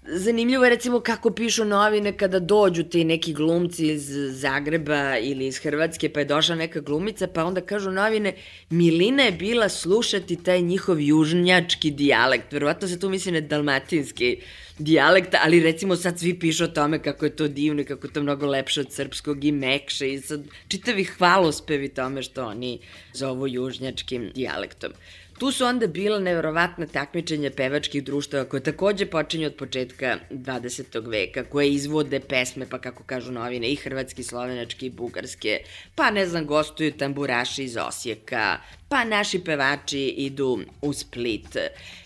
Speaker 7: Zanimljivo je, recimo, kako pišu novine kada dođu ti neki glumci iz Zagreba ili iz Hrvatske, pa je došla neka glumica, pa onda kažu novine, milina je bila slušati taj njihov južnjački dijalekt. Verovatno se tu misli na dalmatinski dijalekt, ali, recimo, sad svi pišu o tome kako je to divno i kako je to mnogo lepše od srpskog i mekše i sad čitavi hvalospevi tome što oni zovu južnjačkim dijalektom. Tu su onda bila neverovatna takmičenja pevačkih društava koje takođe počinju od početka dvadesetog veka, koje izvode pesme, pa kako kažu novine, i hrvatski, slovenački, i bugarske, pa ne znam, gostuju tamburaši iz Osijeka, pa naši pevači idu u Split,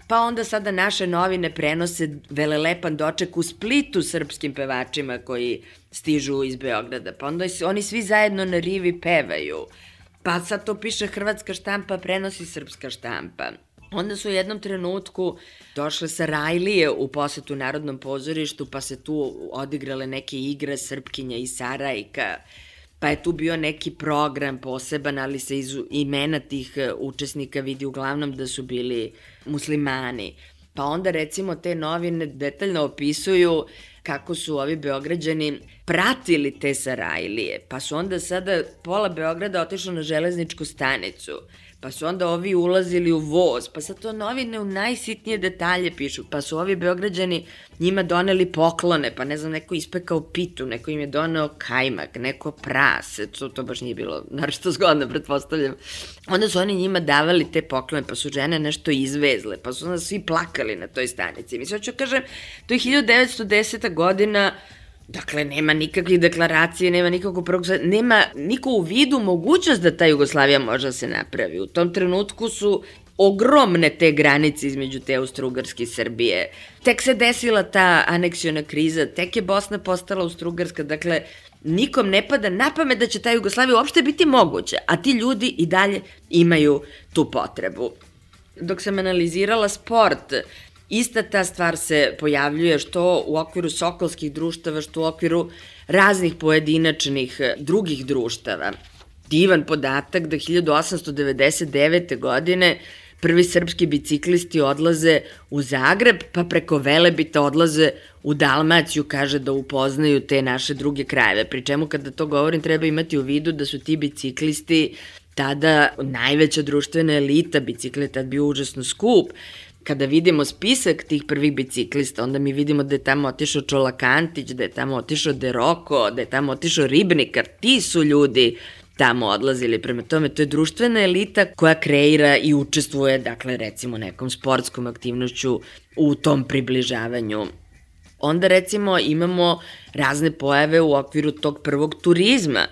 Speaker 7: pa onda sada naše novine prenose velelepan doček u Splitu srpskim pevačima koji stižu iz Beograda, pa onda oni svi zajedno na rivi pevaju. Pa sad to piše hrvatska štampa, prenosi srpska štampa. Onda su u jednom trenutku došle Sarajlije u posetu Narodnom pozorištu, pa se tu odigrale neke igre Srpkinja i Sarajka, pa je tu bio neki program poseban, ali se iz imena tih učesnika vidi uglavnom da su bili muslimani. Pa onda recimo te novine detaljno opisuju kako su ovi Beograđani pratili te Sarajlije, pa su onda sada pola Beograda otišlo na železničku stanicu, pa su onda ovi ulazili u voz, pa sad to novine u najsitnije detalje pišu, pa su ovi Beograđani njima doneli poklone, pa ne znam, neko ispekao pitu, neko im je doneo kajmak, neko prase, to, to baš nije bilo naročito zgodno, pretpostavljam. Onda su oni njima davali te poklone, pa su žene nešto izvezle, pa su onda svi plakali na toj stanici. Mislim, hoću kažem, to je hiljadu devetsto deseta godina, dakle, nema nikakvih deklaracije, nema nikakvog prvog, nema niko u vidu mogućnost da ta Jugoslavija može da se napravi. U tom trenutku su ogromne te granice između te Austro-Ugarske i Srbije. Tek se desila ta aneksiona kriza, tek je Bosna postala Austro-Ugarska, dakle, nikom ne pada na pamet da će ta Jugoslavija uopšte biti moguća, a ti ljudi i dalje imaju tu potrebu. Dok sam analizirala sport, ista ta stvar se pojavljuje što u okviru sokolskih društava, što u okviru raznih pojedinačnih drugih društava. Divan podatak da hiljadu osamsto devedeset devete. godine prvi srpski biciklisti odlaze u Zagreb, pa preko Velebita odlaze u Dalmaciju, kaže da upoznaju te naše druge krajeve. Pri čemu kada to govorim treba imati u vidu da su ti biciklisti tada najveća društvena elita, bicikl je tad bio užasno skup. Kada vidimo spisak tih prvih biciklista, onda mi vidimo da je tamo otišao Čolakantić, da je tamo otišao De Rocco, da je tamo otišao Ribnikar, ti su ljudi tamo odlazili. Prema tome, to je društvena elita koja kreira i učestvuje, dakle, recimo, nekom sportskom aktivnošću u tom približavanju. Onda, recimo, imamo razne pojave u okviru tog prvog turizma,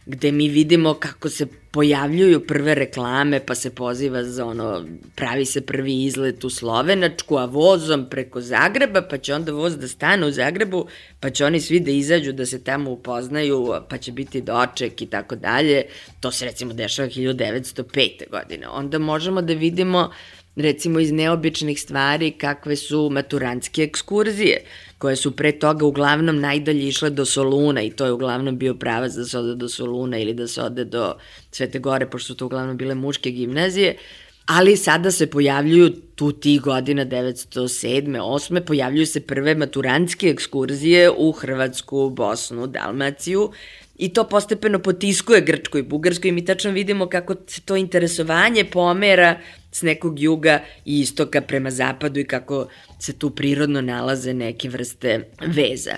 Speaker 7: gde mi vidimo kako se pojavljuju prve reklame, pa se poziva za ono, pravi se prvi izlet u Slovenačku, a vozom preko Zagreba, pa će onda voz da stane u Zagrebu, pa će oni svi da izađu, da se tamo upoznaju, pa će biti doček i tako dalje. To se recimo dešava hiljadu devetsto pete. godine. Onda možemo da vidimo recimo iz neobičnih stvari kakve su maturantske ekskurzije, koje su pre toga uglavnom najdalje išle do Soluna i to je uglavnom bio pravac da se ode do Soluna ili da se ode do Svete Gore, pošto su to uglavnom bile muške gimnazije, ali sada se pojavljuju tu tih godina devetsto sedme. osme. pojavljuju se prve maturantske ekskurzije u Hrvatsku, Bosnu, Dalmaciju, i to postepeno potiskuje Grčkoj i Bugarskoj i mi tačno vidimo kako se to interesovanje pomera s nekog juga i istoka prema zapadu i kako se tu prirodno nalaze neke vrste veza.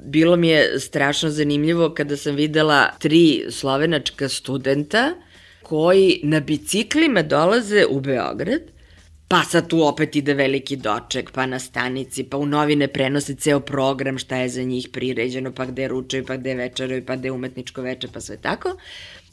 Speaker 7: Bilo mi je strašno zanimljivo kada sam videla tri slovenačka studenta koji na biciklima dolaze u Beograd, pa sad tu opet ide veliki doček, pa na stanici, pa u novine prenose ceo program šta je za njih priređeno, pa gde ručaju, pa gde večeraju, pa gde umetničko veče, pa sve tako.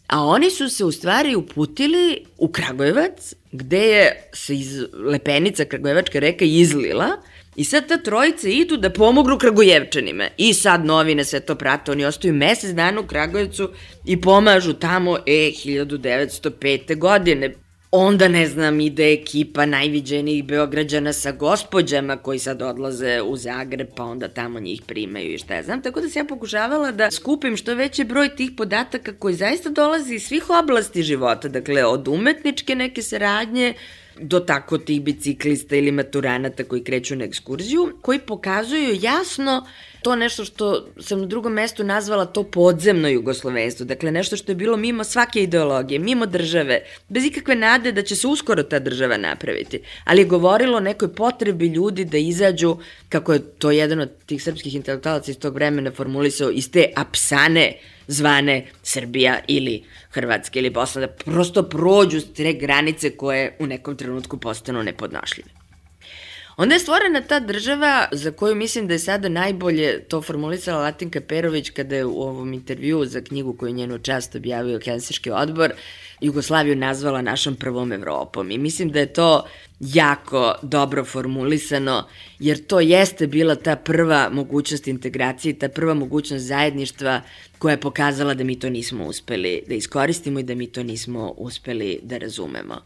Speaker 7: A oni su se u stvari uputili u Kragujevac, gde je se iz Lepenica Kragujevačka reka izlila i sad ta trojica idu da pomognu Kragujevčanima. I sad novine sve to prate, oni ostaju mesec dana u Kragujevcu i pomažu tamo, e, hiljadu devetsto pete. godine. Onda, ne znam, ide ekipa najviđenijih Beograđana sa gospođama koji sad odlaze u Zagreb, pa onda tamo njih primaju i šta ja znam. Tako da sam ja pokušavala da skupim što veći broj tih podataka koji zaista dolazi iz svih oblasti života, dakle od umetničke neke saradnje do tako tih biciklista ili maturanata koji kreću na ekskurziju, koji pokazuju jasno to nešto što sam na drugom mestu nazvala to podzemno jugoslovenstvo, dakle nešto što je bilo mimo svake ideologije, mimo države, bez ikakve nade da će se uskoro ta država napraviti, ali je govorilo o nekoj potrebi ljudi da izađu, kako je to jedan od tih srpskih intelektualaca iz tog vremena formulisao, iz te apsane zvane Srbija ili Hrvatska ili Bosna, da prosto prođu te granice koje u nekom trenutku postanu nepodnošljive. Onda je stvorena ta država za koju mislim da je sada najbolje to formulisala Latinka Perović kada je u ovom intervjuu za knjigu koju njenu čast objavio Helsinški odbor Jugoslaviju nazvala našom prvom Evropom. I mislim da je to jako dobro formulisano, jer to jeste bila ta prva mogućnost integracije, ta prva mogućnost zajedništva koja je pokazala da mi to nismo uspeli da iskoristimo i da mi to nismo uspeli da razumemo.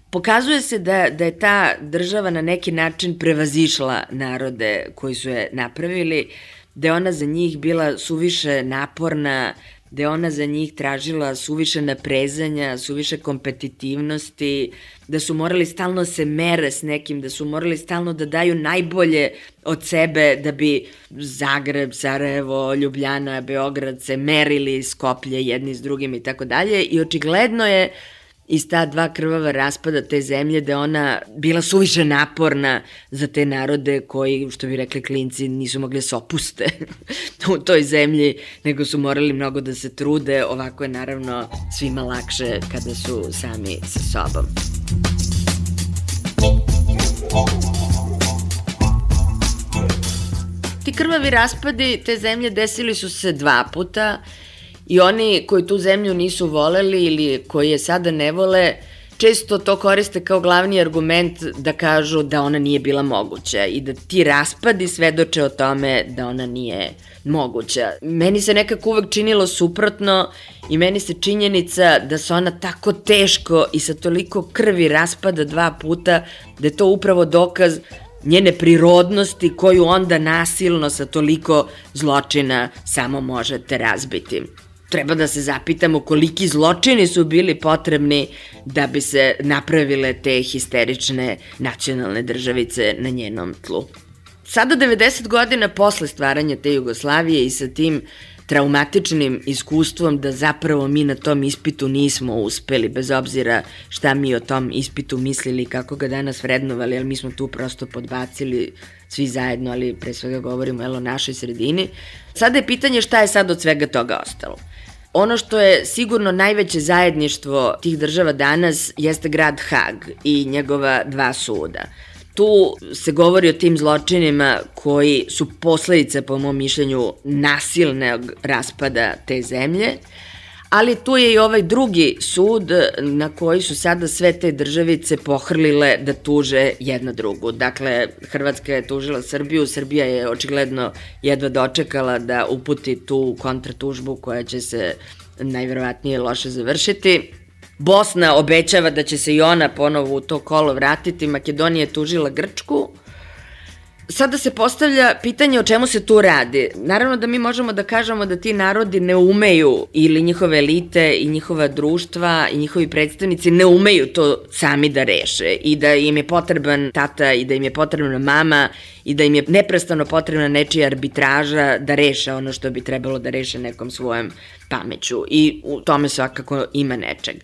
Speaker 7: Pokazuje se da, da je ta država na neki način prevazišla narode koji su je napravili, da je ona za njih bila suviše naporna, da je ona za njih tražila suviše naprezanja, suviše kompetitivnosti, da su morali stalno se mere s nekim, da su morali stalno da daju najbolje od sebe da bi Zagreb, Sarajevo, Ljubljana, Beograd se merili Skoplje jedni s drugim i tako dalje. I očigledno je iz ta dva krvava raspada te zemlje da je ona bila suviše naporna za te narode koji, što bi rekli klinci, nisu mogli se opuste u toj zemlji, nego su morali mnogo da se trude. Ovako je naravno svima lakše kada su sami sa sobom. Ti krvavi raspadi te zemlje desili su se dva puta. I oni koji tu zemlju nisu voleli ili koji je sada ne vole, često to koriste kao glavni argument da kažu da ona nije bila moguća i da ti raspadi svedoče o tome da ona nije moguća. Meni se nekako uvek činilo suprotno i meni se činjenica da se ona tako teško i sa toliko krvi raspada dva puta, da je to upravo dokaz njene prirodnosti koju onda nasilno sa toliko zločina samo možete razbiti. Treba da se zapitamo koliki zločini su bili potrebni da bi se napravile te histerične nacionalne državice na njenom tlu. Sada devedeset godina posle stvaranja te Jugoslavije i sa tim traumatičnim iskustvom da zapravo mi na tom ispitu nismo uspeli, bez obzira šta mi o tom ispitu mislili, kako ga danas vrednovali, ali mi smo tu prosto podbacili svi zajedno, ali pre svega govorimo o našoj sredini. Sada je pitanje šta je sad od svega toga ostalo. Ono što je sigurno najveće zajedništvo tih država danas jeste grad Hag i njegova dva suda. Tu se govori o tim zločinima koji su posledice, po mom mišljenju, nasilnog raspada te zemlje, ali tu je i ovaj drugi sud na koji su sada sve te državice pohrlile da tuže jedna drugu. Dakle, Hrvatska je tužila Srbiju, Srbija je očigledno jedva dočekala da uputi tu kontratužbu koja će se najverovatnije loše završiti. Bosna obećava da će se i ona ponovo u to kolo vratiti, Makedonija je tužila Grčku. Sada se postavlja pitanje o čemu se tu radi. Naravno da mi možemo da kažemo da ti narodi ne umeju, ili njihove elite i njihova društva i njihovi predstavnici ne umeju to sami da reše i da im je potreban tata i da im je potrebna mama i da im je neprestano potrebna nečija arbitraža da reše ono što bi trebalo da reše nekom svojom pameću i u tome svakako ima nečeg.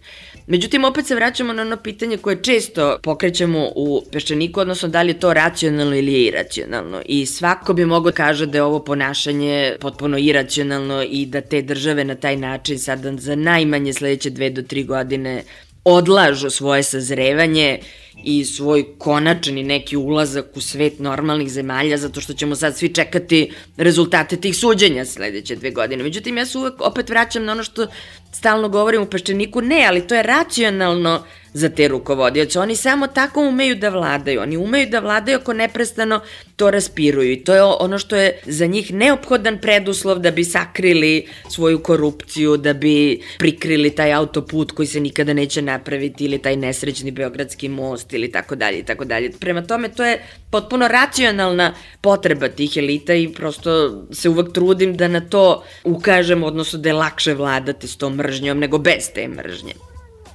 Speaker 7: Međutim, opet se vraćamo na ono pitanje koje često pokrećemo u Peščaniku, odnosno da li je to racionalno ili je iracionalno. I svako bi mogao kaže da je ovo ponašanje potpuno iracionalno i da te države na taj način sada za najmanje sledeće dve do tri godine odlažu svoje sazrevanje i svoj konačni neki ulazak u svet normalnih zemalja, zato što ćemo sad svi čekati rezultate tih suđenja sledeće dve godine. Međutim, ja se uvek opet vraćam na ono što stalno govorim u Peščaniku, ne, ali to je racionalno za te rukovodioce. Oni samo tako umeju da vladaju. Oni umeju da vladaju ako neprestano to raspiruju. I to je ono što je za njih neophodan preduslov da bi sakrili svoju korupciju, da bi prikrili taj autoput koji se nikada neće napraviti ili taj nesrećni Beogradski most ili tako dalje i tako dalje. Prema tome, to je potpuno racionalna potreba tih elita i prosto se uvek trudim da na to ukažem, odnosno da je lakše vladati s tom mržnjom nego bez te mržnje.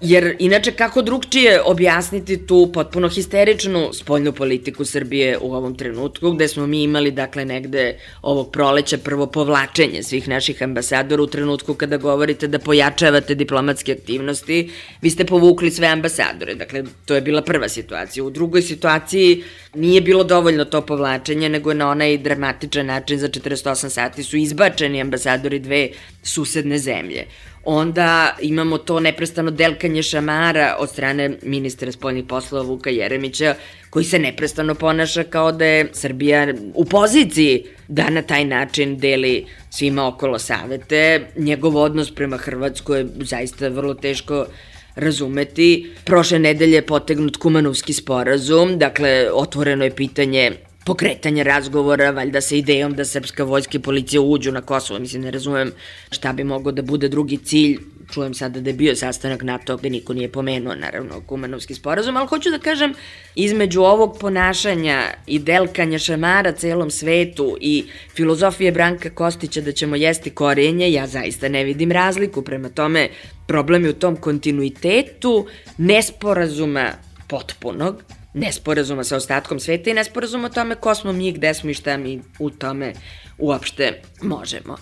Speaker 7: Jer inače kako drugčije objasniti tu potpuno histeričnu spoljnu politiku Srbije u ovom trenutku, gde smo mi imali dakle negde ovog proleća prvo povlačenje svih naših ambasadora u trenutku kada govorite da pojačavate diplomatske aktivnosti, vi ste povukli sve ambasadore, dakle to je bila prva situacija. U drugoj situaciji nije bilo dovoljno to povlačenje, nego na onaj dramatičan način za četrdeset osam sati su izbačeni ambasadori dve susedne zemlje. Onda imamo to neprestano delkanje šamara od strane ministra spoljnih poslova Vuka Jeremića, koji se neprestano ponaša kao da je Srbija u poziciji da na taj način deli svima okolo savete. Njegov odnos prema Hrvatskoj je zaista vrlo teško razumeti. Prošle nedelje je potegnut Kumanovski sporazum, dakle otvoreno je pitanje pokretanje razgovora, valjda sa idejom da srpska vojska i policija uđu na Kosovo. Mislim, ne razumem šta bi mogao da bude drugi cilj. Čujem sada da je bio sastanak NATO gde niko nije pomenuo, naravno, Kumanovski sporazum, ali hoću da kažem, između ovog ponašanja i delkanja šamara celom svetu i filozofije Branka Kostića da ćemo jesti korenje, ja zaista ne vidim razliku. Prema tome, problem je u tom kontinuitetu nesporazuma potpunog, nesporazuma sa ostatkom sveta i nesporazuma o tome ko smo mi, gde smo i šta mi u tome uopšte možemo.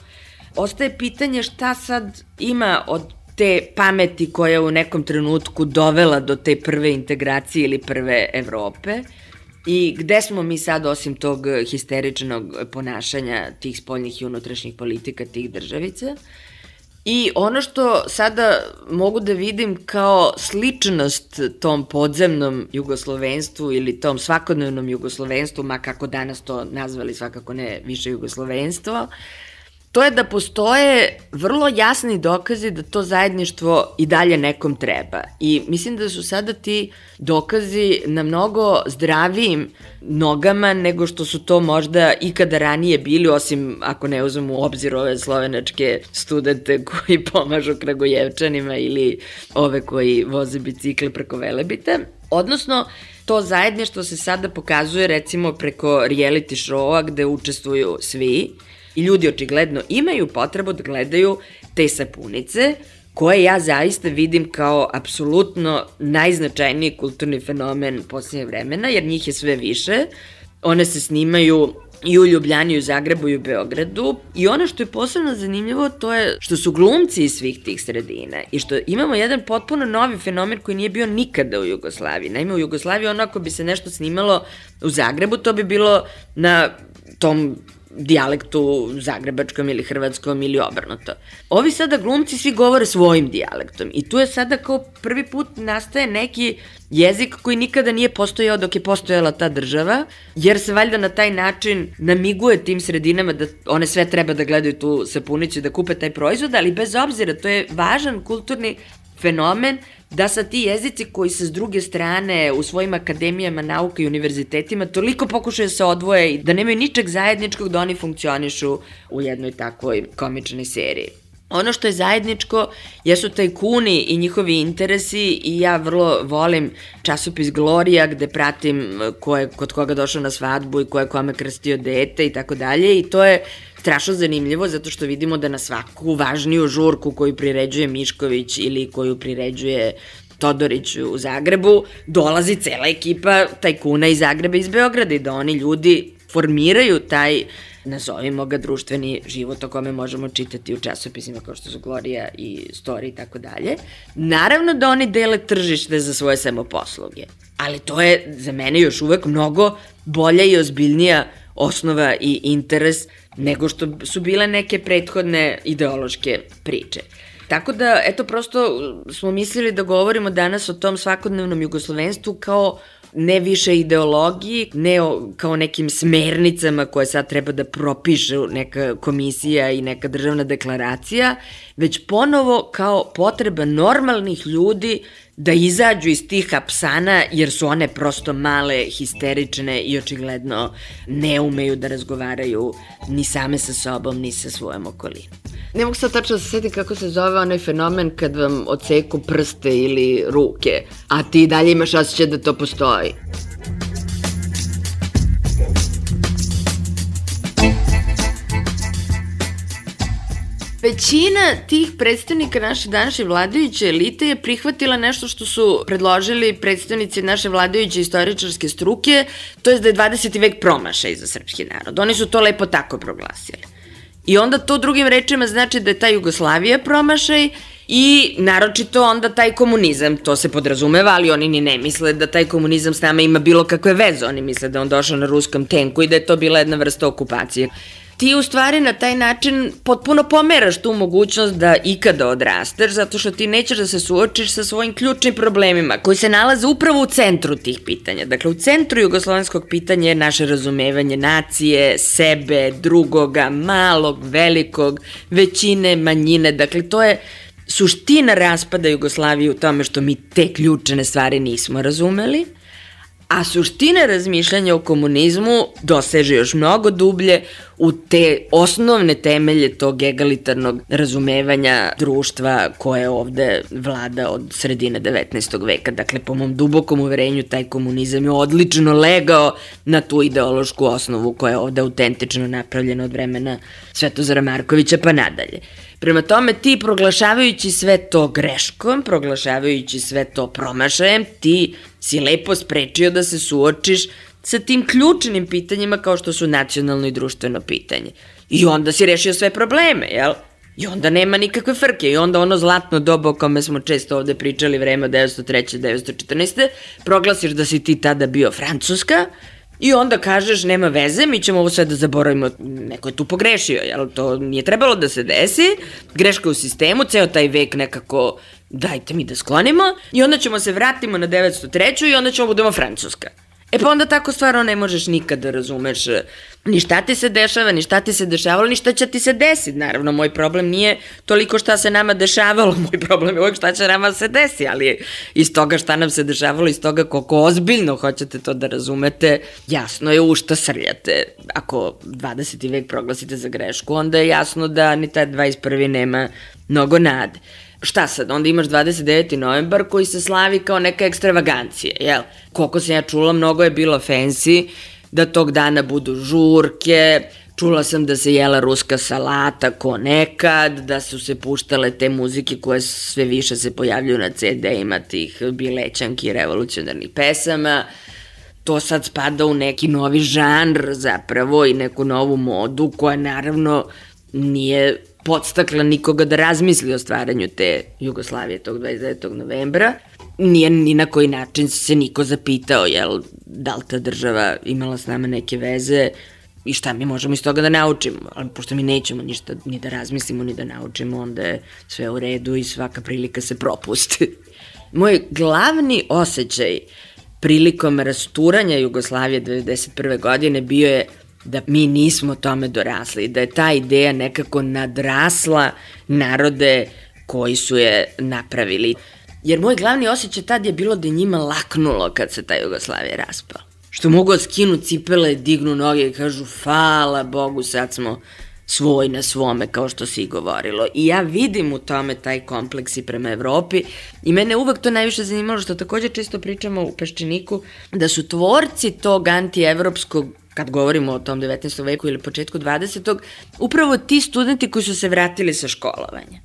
Speaker 7: Ostaje pitanje šta sad ima od te pameti koja je u nekom trenutku dovela do te prve integracije ili prve Evrope i gde smo mi sad osim tog histeričnog ponašanja tih spoljnih i unutrašnjih politika tih državica. I ono što sada mogu da vidim kao sličnost tom podzemnom jugoslovenstvu ili tom svakodnevnom jugoslovenstvu, ma kako danas to nazvali, svakako ne više jugoslovenstvo, to je da postoje vrlo jasni dokazi da to zajedništvo i dalje nekom treba. I mislim da su sada ti dokazi na mnogo zdravijim nogama nego što su to možda ikada ranije bili, osim ako ne uzmemo u obzir ove slovenačke studente koji pomažu Kragujevčanima ili ove koji voze bicikle preko Velebita. Odnosno, to zajedništvo se sada pokazuje recimo preko reality showa gde učestvuju svi. I ljudi očigledno imaju potrebu da gledaju te sapunice, koje ja zaista vidim kao apsolutno najznačajniji kulturni fenomen posljednje vremena, jer njih je sve više. One se snimaju i u Ljubljani, i u Zagrebu, i u Beogradu. I ono što je posebno zanimljivo, to je što su glumci iz svih tih sredina i što imamo jedan potpuno novi fenomen koji nije bio nikada u Jugoslaviji. Naime, u Jugoslaviji ono ako bi se nešto snimalo u Zagrebu, to bi bilo na tom dijalektu zagrebačkom ili hrvatskom ili obrnuto. Ovi sada glumci svi govore svojim dijalektom i tu je sada kao prvi put nastaje neki jezik koji nikada nije postojao dok je postojala ta država, jer se valjda na taj način namiguje tim sredinama da one sve treba da gledaju tu sapunicu i da kupe taj proizvod, ali bez obzira, to je važan kulturni fenomen da sa ti jezici koji se s druge strane u svojim akademijama nauka i univerzitetima toliko pokušaju se odvoje i da nemaju ničeg zajedničkog da oni funkcionišu u jednoj takvoj komičnoj seriji. Ono što je zajedničko jesu tajkuni i njihovi interesi i ja vrlo volim časopis Gloria gde pratim ko je kod koga došao na svadbu i ko je kome krstio dete i tako dalje i to je strašno zanimljivo zato što vidimo da na svaku važniju žurku koju priređuje Mišković ili koju priređuje Todorić u Zagrebu dolazi cela ekipa tajkuna iz Zagreba i iz Beograda i da oni ljudi formiraju taj, nazovimo ga, društveni život o kome možemo čitati u časopisima kao što su Gloria i Story i tako dalje. Naravno da oni dele tržište za svoje samoposluge, ali to je za mene još uvek mnogo bolja i ozbiljnija osnova i interes nego što su bile neke prethodne ideološke priče. Tako da, eto, prosto smo mislili da govorimo danas o tom svakodnevnom jugoslovenstvu kao ne više ideologiji, ne o, kao nekim smernicama koje sad treba da propiše neka komisija i neka državna deklaracija, već ponovo kao potreba normalnih ljudi da izađu iz tih apsana jer su one prosto male, histerične i očigledno ne umeju da razgovaraju ni same sa sobom, ni sa svojom okolinom. Ne mogu sad tačno da se sjetim kako se zove onaj fenomen kad vam odseku prste ili ruke, a ti dalje imaš osjećaj da to postoji. većina tih predstavnika naše današnje vladajuće elite je prihvatila nešto što su predložili predstavnici naše vladajuće istoričarske struke, to je da je dvadeseti vek promašaj za srpski narod. Oni su to lepo tako proglasili. I onda to drugim rečima znači da je ta Jugoslavija promašaj i naročito onda taj komunizam, to se podrazumeva, ali oni ni ne misle da taj komunizam s nama ima bilo kakve veze, oni misle da on došao na ruskom tenku i da je to bila jedna vrsta okupacije. Ti u stvari na taj način potpuno pomeraš tu mogućnost da ikada odrasteš, zato što ti nećeš da se suočiš sa svojim ključnim problemima koji se nalaze upravo u centru tih pitanja. Dakle, u centru jugoslovenskog pitanja je naše razumevanje nacije, sebe, drugoga, malog, velikog, većine, manjine. Dakle, to je suština raspada Jugoslavije u tome što mi te ključne stvari nismo razumeli, a suština razmišljanja o komunizmu doseže još mnogo dublje u te osnovne temelje tog egalitarnog razumevanja društva koje ovde vlada od sredine devetnaestog veka. Dakle, po mom dubokom uverenju, taj komunizam je odlično legao na tu ideološku osnovu koja je ovde autentično napravljena od vremena Svetozara Markovića pa nadalje. Prema tome, ti proglašavajući sve to greškom, proglašavajući sve to promašajem, ti si lepo sprečio da se suočiš sa tim ključnim pitanjima kao što su nacionalno i društveno pitanje. I onda si rešio sve probleme, jel? I onda nema nikakve frke. I onda ono zlatno doba o kome smo često ovde pričali, vreme od devetsto treće do devetsto četrnaeste. proglasiš da si ti tada bio Francuska i onda kažeš nema veze, mi ćemo ovo sve da zaboravimo, neko je tu pogrešio, jel? To nije trebalo da se desi, greška u sistemu, ceo taj vek nekako dajte mi da sklonimo i onda ćemo se vratimo na devetsto treću i onda ćemo budemo Francuska. E pa onda tako stvarno ne možeš nikad da razumeš ni šta ti se dešava, ni šta ti se dešavalo, ni šta će ti se desiti. Naravno, moj problem nije toliko šta se nama dešavalo, moj problem je uvijek šta će nama se desi, ali iz toga šta nam se dešavalo, iz toga koliko ozbiljno hoćete to da razumete, jasno je u šta srljate. Ako dvadeseti vek proglasite za grešku, onda je jasno da ni taj dvadeset prvi nema mnogo nade. Šta sad, onda imaš dvadeset deveti novembar koji se slavi kao neka ekstravagancija, jel? Koliko sam ja čula, mnogo je bilo fancy da tog dana budu žurke, čula sam da se jela ruska salata ko nekad, da su se puštale te muzike koje sve više se pojavljuju na ce de-ima tih bilećanki i revolucionarnih pesama. To sad spada u neki novi žanr zapravo i neku novu modu koja naravno nije podstakla nikoga da razmisli o stvaranju te Jugoslavije tog dvadeset devetog novembra. Nije ni na koji način se niko zapitao, jel, da li ta država imala s nama neke veze i šta mi možemo iz toga da naučimo. Ali pošto mi nećemo ništa ni da razmislimo, ni da naučimo, onda je sve u redu i svaka prilika se propusti. Moj glavni osjećaj prilikom rasturanja Jugoslavije devedeset prve godine bio je da mi nismo tome dorasli, da je ta ideja nekako nadrasla narode koji su je napravili. Jer moj glavni osjećaj tad je bilo da je njima laknulo kad se ta Jugoslavija raspala. Što mogu skinu cipele, dignu noge i kažu hvala Bogu, sad smo svoj na svome, kao što si i govorilo. I ja vidim u tome taj kompleks i prema Evropi i mene uvek to najviše zanimalo, što takođe često pričamo u Peščaniku, da su tvorci tog antievropskog, kad govorimo o tom devetnaestom veku ili početku dvadesetog, upravo ti studenti koji su se vratili sa školovanja.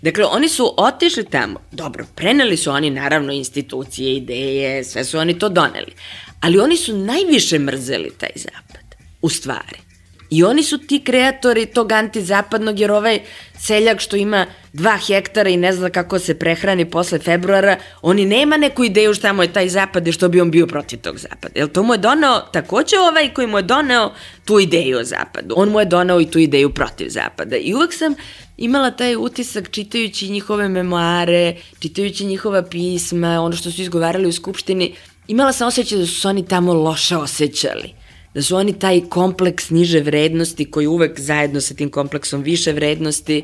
Speaker 7: Dakle, oni su otišli tamo, dobro, preneli su oni naravno institucije, ideje, sve su oni to doneli, ali oni su najviše mrzeli taj zapad, u stvari. I oni su ti kreatori tog antizapadnog, jer ovaj seljak što ima dva hektara i ne zna kako se prehrani posle februara, oni nema neku ideju šta mu je taj zapad i što bi on bio protiv tog zapada. Jer to mu je doneo takođe ovaj koji mu je doneo tu ideju o zapadu. On mu je doneo i tu ideju protiv zapada. I uvek sam imala taj utisak čitajući njihove memoare, čitajući njihova pisma, ono što su izgovarali u Skupštini, imala sam osjećaj da su se oni tamo loše osjećali. Da su oni taj kompleks niže vrednosti koji uvek zajedno sa tim kompleksom više vrednosti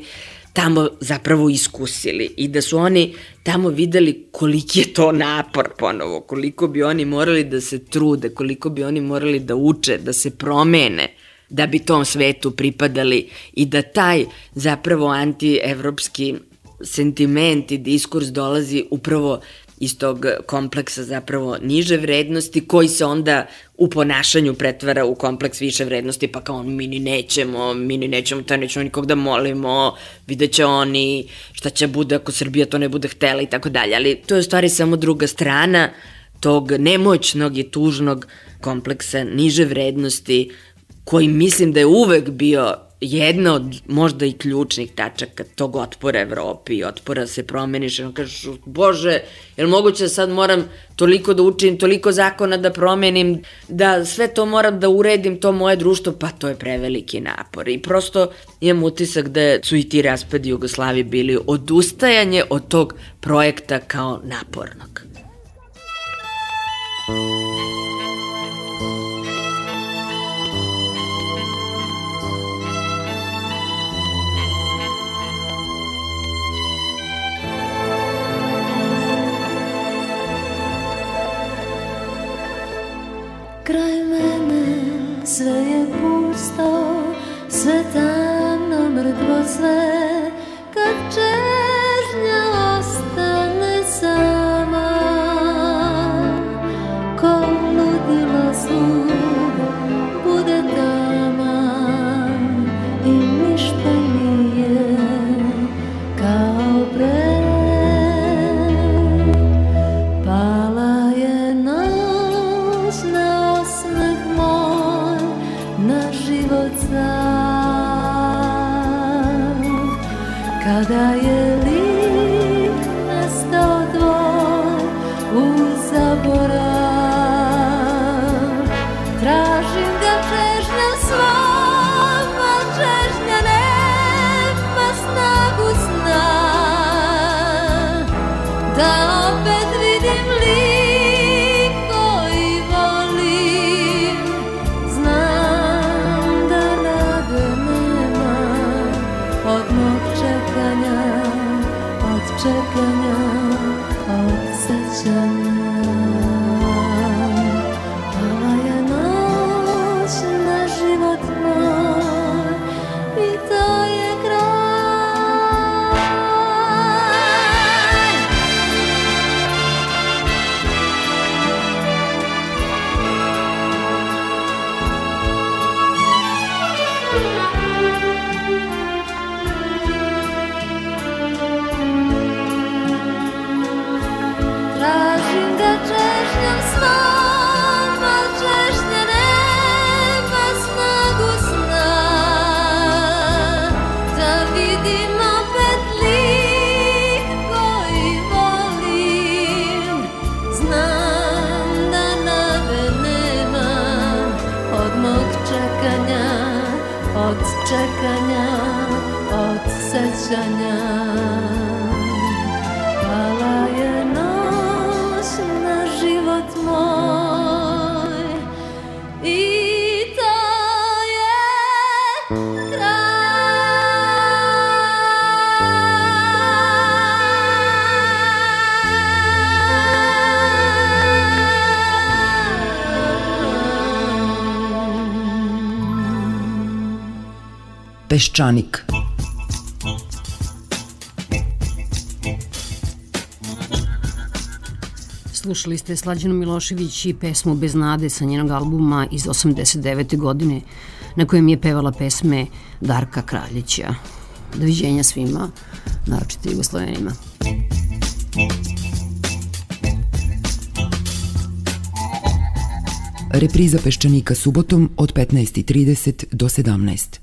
Speaker 7: tamo zapravo iskusili i da su oni tamo videli koliki je to napor ponovo, koliko bi oni morali da se trude, koliko bi oni morali da uče, da se promene, da bi tom svetu pripadali i da taj zapravo antievropski sentiment i diskurs dolazi upravo iz tog kompleksa zapravo niže vrednosti koji se onda u ponašanju pretvara u kompleks više vrednosti, pa kao mi ni nećemo, mi ni nećemo, to nećemo nikog da molimo, vidjet će oni šta će bude ako Srbija to ne bude htela i tako dalje, ali to je u stvari samo druga strana tog nemoćnog i tužnog kompleksa niže vrednosti, koji mislim da je uvek bio jedna od možda i ključnih tačaka tog otpora Evropi i otpora se promeniš, ono kažeš, bože, je li moguće da sad moram toliko da učim, toliko zakona da promenim, da sve to moram da uredim, to moje društvo, pa to je preveliki napor. I prosto imam utisak da su i ti raspadi Jugoslavije bili odustajanje od tog projekta kao napornog.
Speaker 14: Kraj mene sve je pusto, sve tamno, mrtvo sve, kad čežnja ostane sama, ko ludilo sud bude taman i ništa nije kao pre. Pala je noć na osmeh moj, na život sam, kada je lik nestao tvoj u zaborav. Tražim ga čežnjom svom, a čežnja nema snagu sna, da opet vidim lik koji volim. Znam da nade nema od mog čekanja, od čekanja, od sećanja. Pala je noć na život moj i to je kraj. Tražim ga čežnjom svom, a čežnja nema snagu sna, da vidim opet lik koji volim. Znam da nade nema od mog čekanja, od čekanja, od sećanja. Pala je noć na život moj i to je
Speaker 15: Peščanik.
Speaker 8: Slušali ste Slađanu Milošević i pesmu Bez nade sa njenog albuma iz osamdeset devete godine, na kojem je pevala pesme Darka Kraljića. Doviđenja svima, naročito Jugoslovenima.
Speaker 15: Repriza Peščanika subotom od petnaest i trideset do sedamnaest.